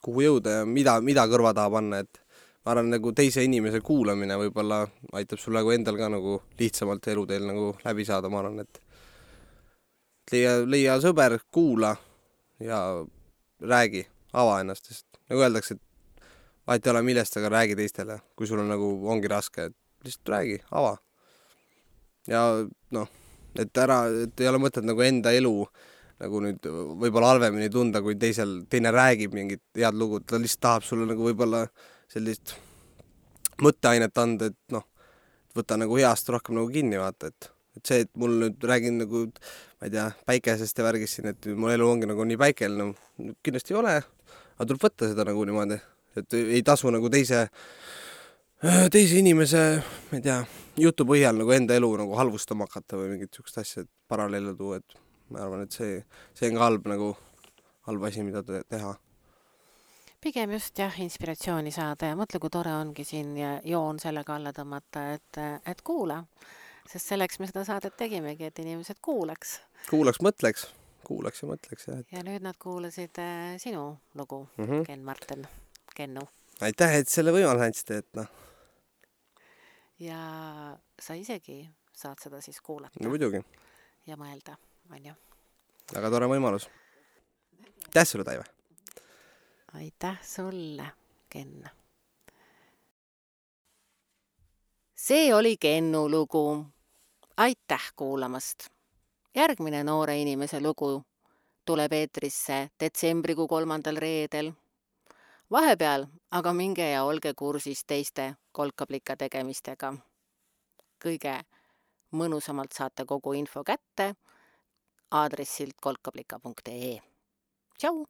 kuhu jõuda ja mida, mida kõrva taha panna, et ma arvan, nagu teise inimese kuulamine võib-olla aitab sul nagu endal ka nagu lihtsamalt eluteel nagu läbi saada, ma arvan, et leia, leia sõber, kuula ja räägi, ava ennast, sest nagu öeldakse, et vahet ei ole millest, aga räägi teistele, kui sul on nagu, ongi raske, et lihtsalt räägi, ava. Ja noh, et ära, et ei ole mõtet nagu enda elu nagu nüüd võib-olla halvemini tunda, kui teisel, teine räägib mingit head lugu, ta lihtsalt tahab sulle nagu võib-olla sellist mõtteainet anda, et noh, võta nagu heast rohkem nagu kinni, vaata, et, et see, et mul nüüd räägin nagu, ma ei tea, päikesest ja värgist siin, et mul elu ongi nagu nii päikeline, no, kindlasti ei ole, aga tuleb võtta seda nagu niimoodi, et ei tasu nagu teise, teise inimese, ma ei tea, jutu põhjal nagu enda elu nagu halvustama hakata või mingit sükest asja, et paralleele tuua, et ma arvan, et see, see on ka halb nagu, halb asi, mida teha. Pigem just jah, inspiratsiooni saada ja mõtle, kui tore ongi siin ja joon sellega alla tõmmata, et, et kuula. Sest selleks me seda saadet tegimegi, et inimesed kuulaks. Kuulaks, mõtleks. Kuulaks ja mõtleks. Ja, et... ja nüüd nad kuulasid äh, sinu lugu, mm -hmm. Ken Marten, Kennu. Aitäh, et selle võimaluse andsite, et noh. Ja sa isegi saad seda siis kuulata. No muidugi. Ja mõelda, on ju. Väga tore võimalus. Aitäh sulle, Taive! Aitäh sulle, Ken. See oli Kennu lugu. Aitäh kuulamast. Järgmine noore inimese lugu tuleb eetrisse detsembrikuu kolmandal reedel. Vahepeal aga minge ja olge kursis teiste kolkablika tegemistega. Kõige mõnusamalt saate kogu info kätte aadressilt kolkablika punkt ee. Tšau!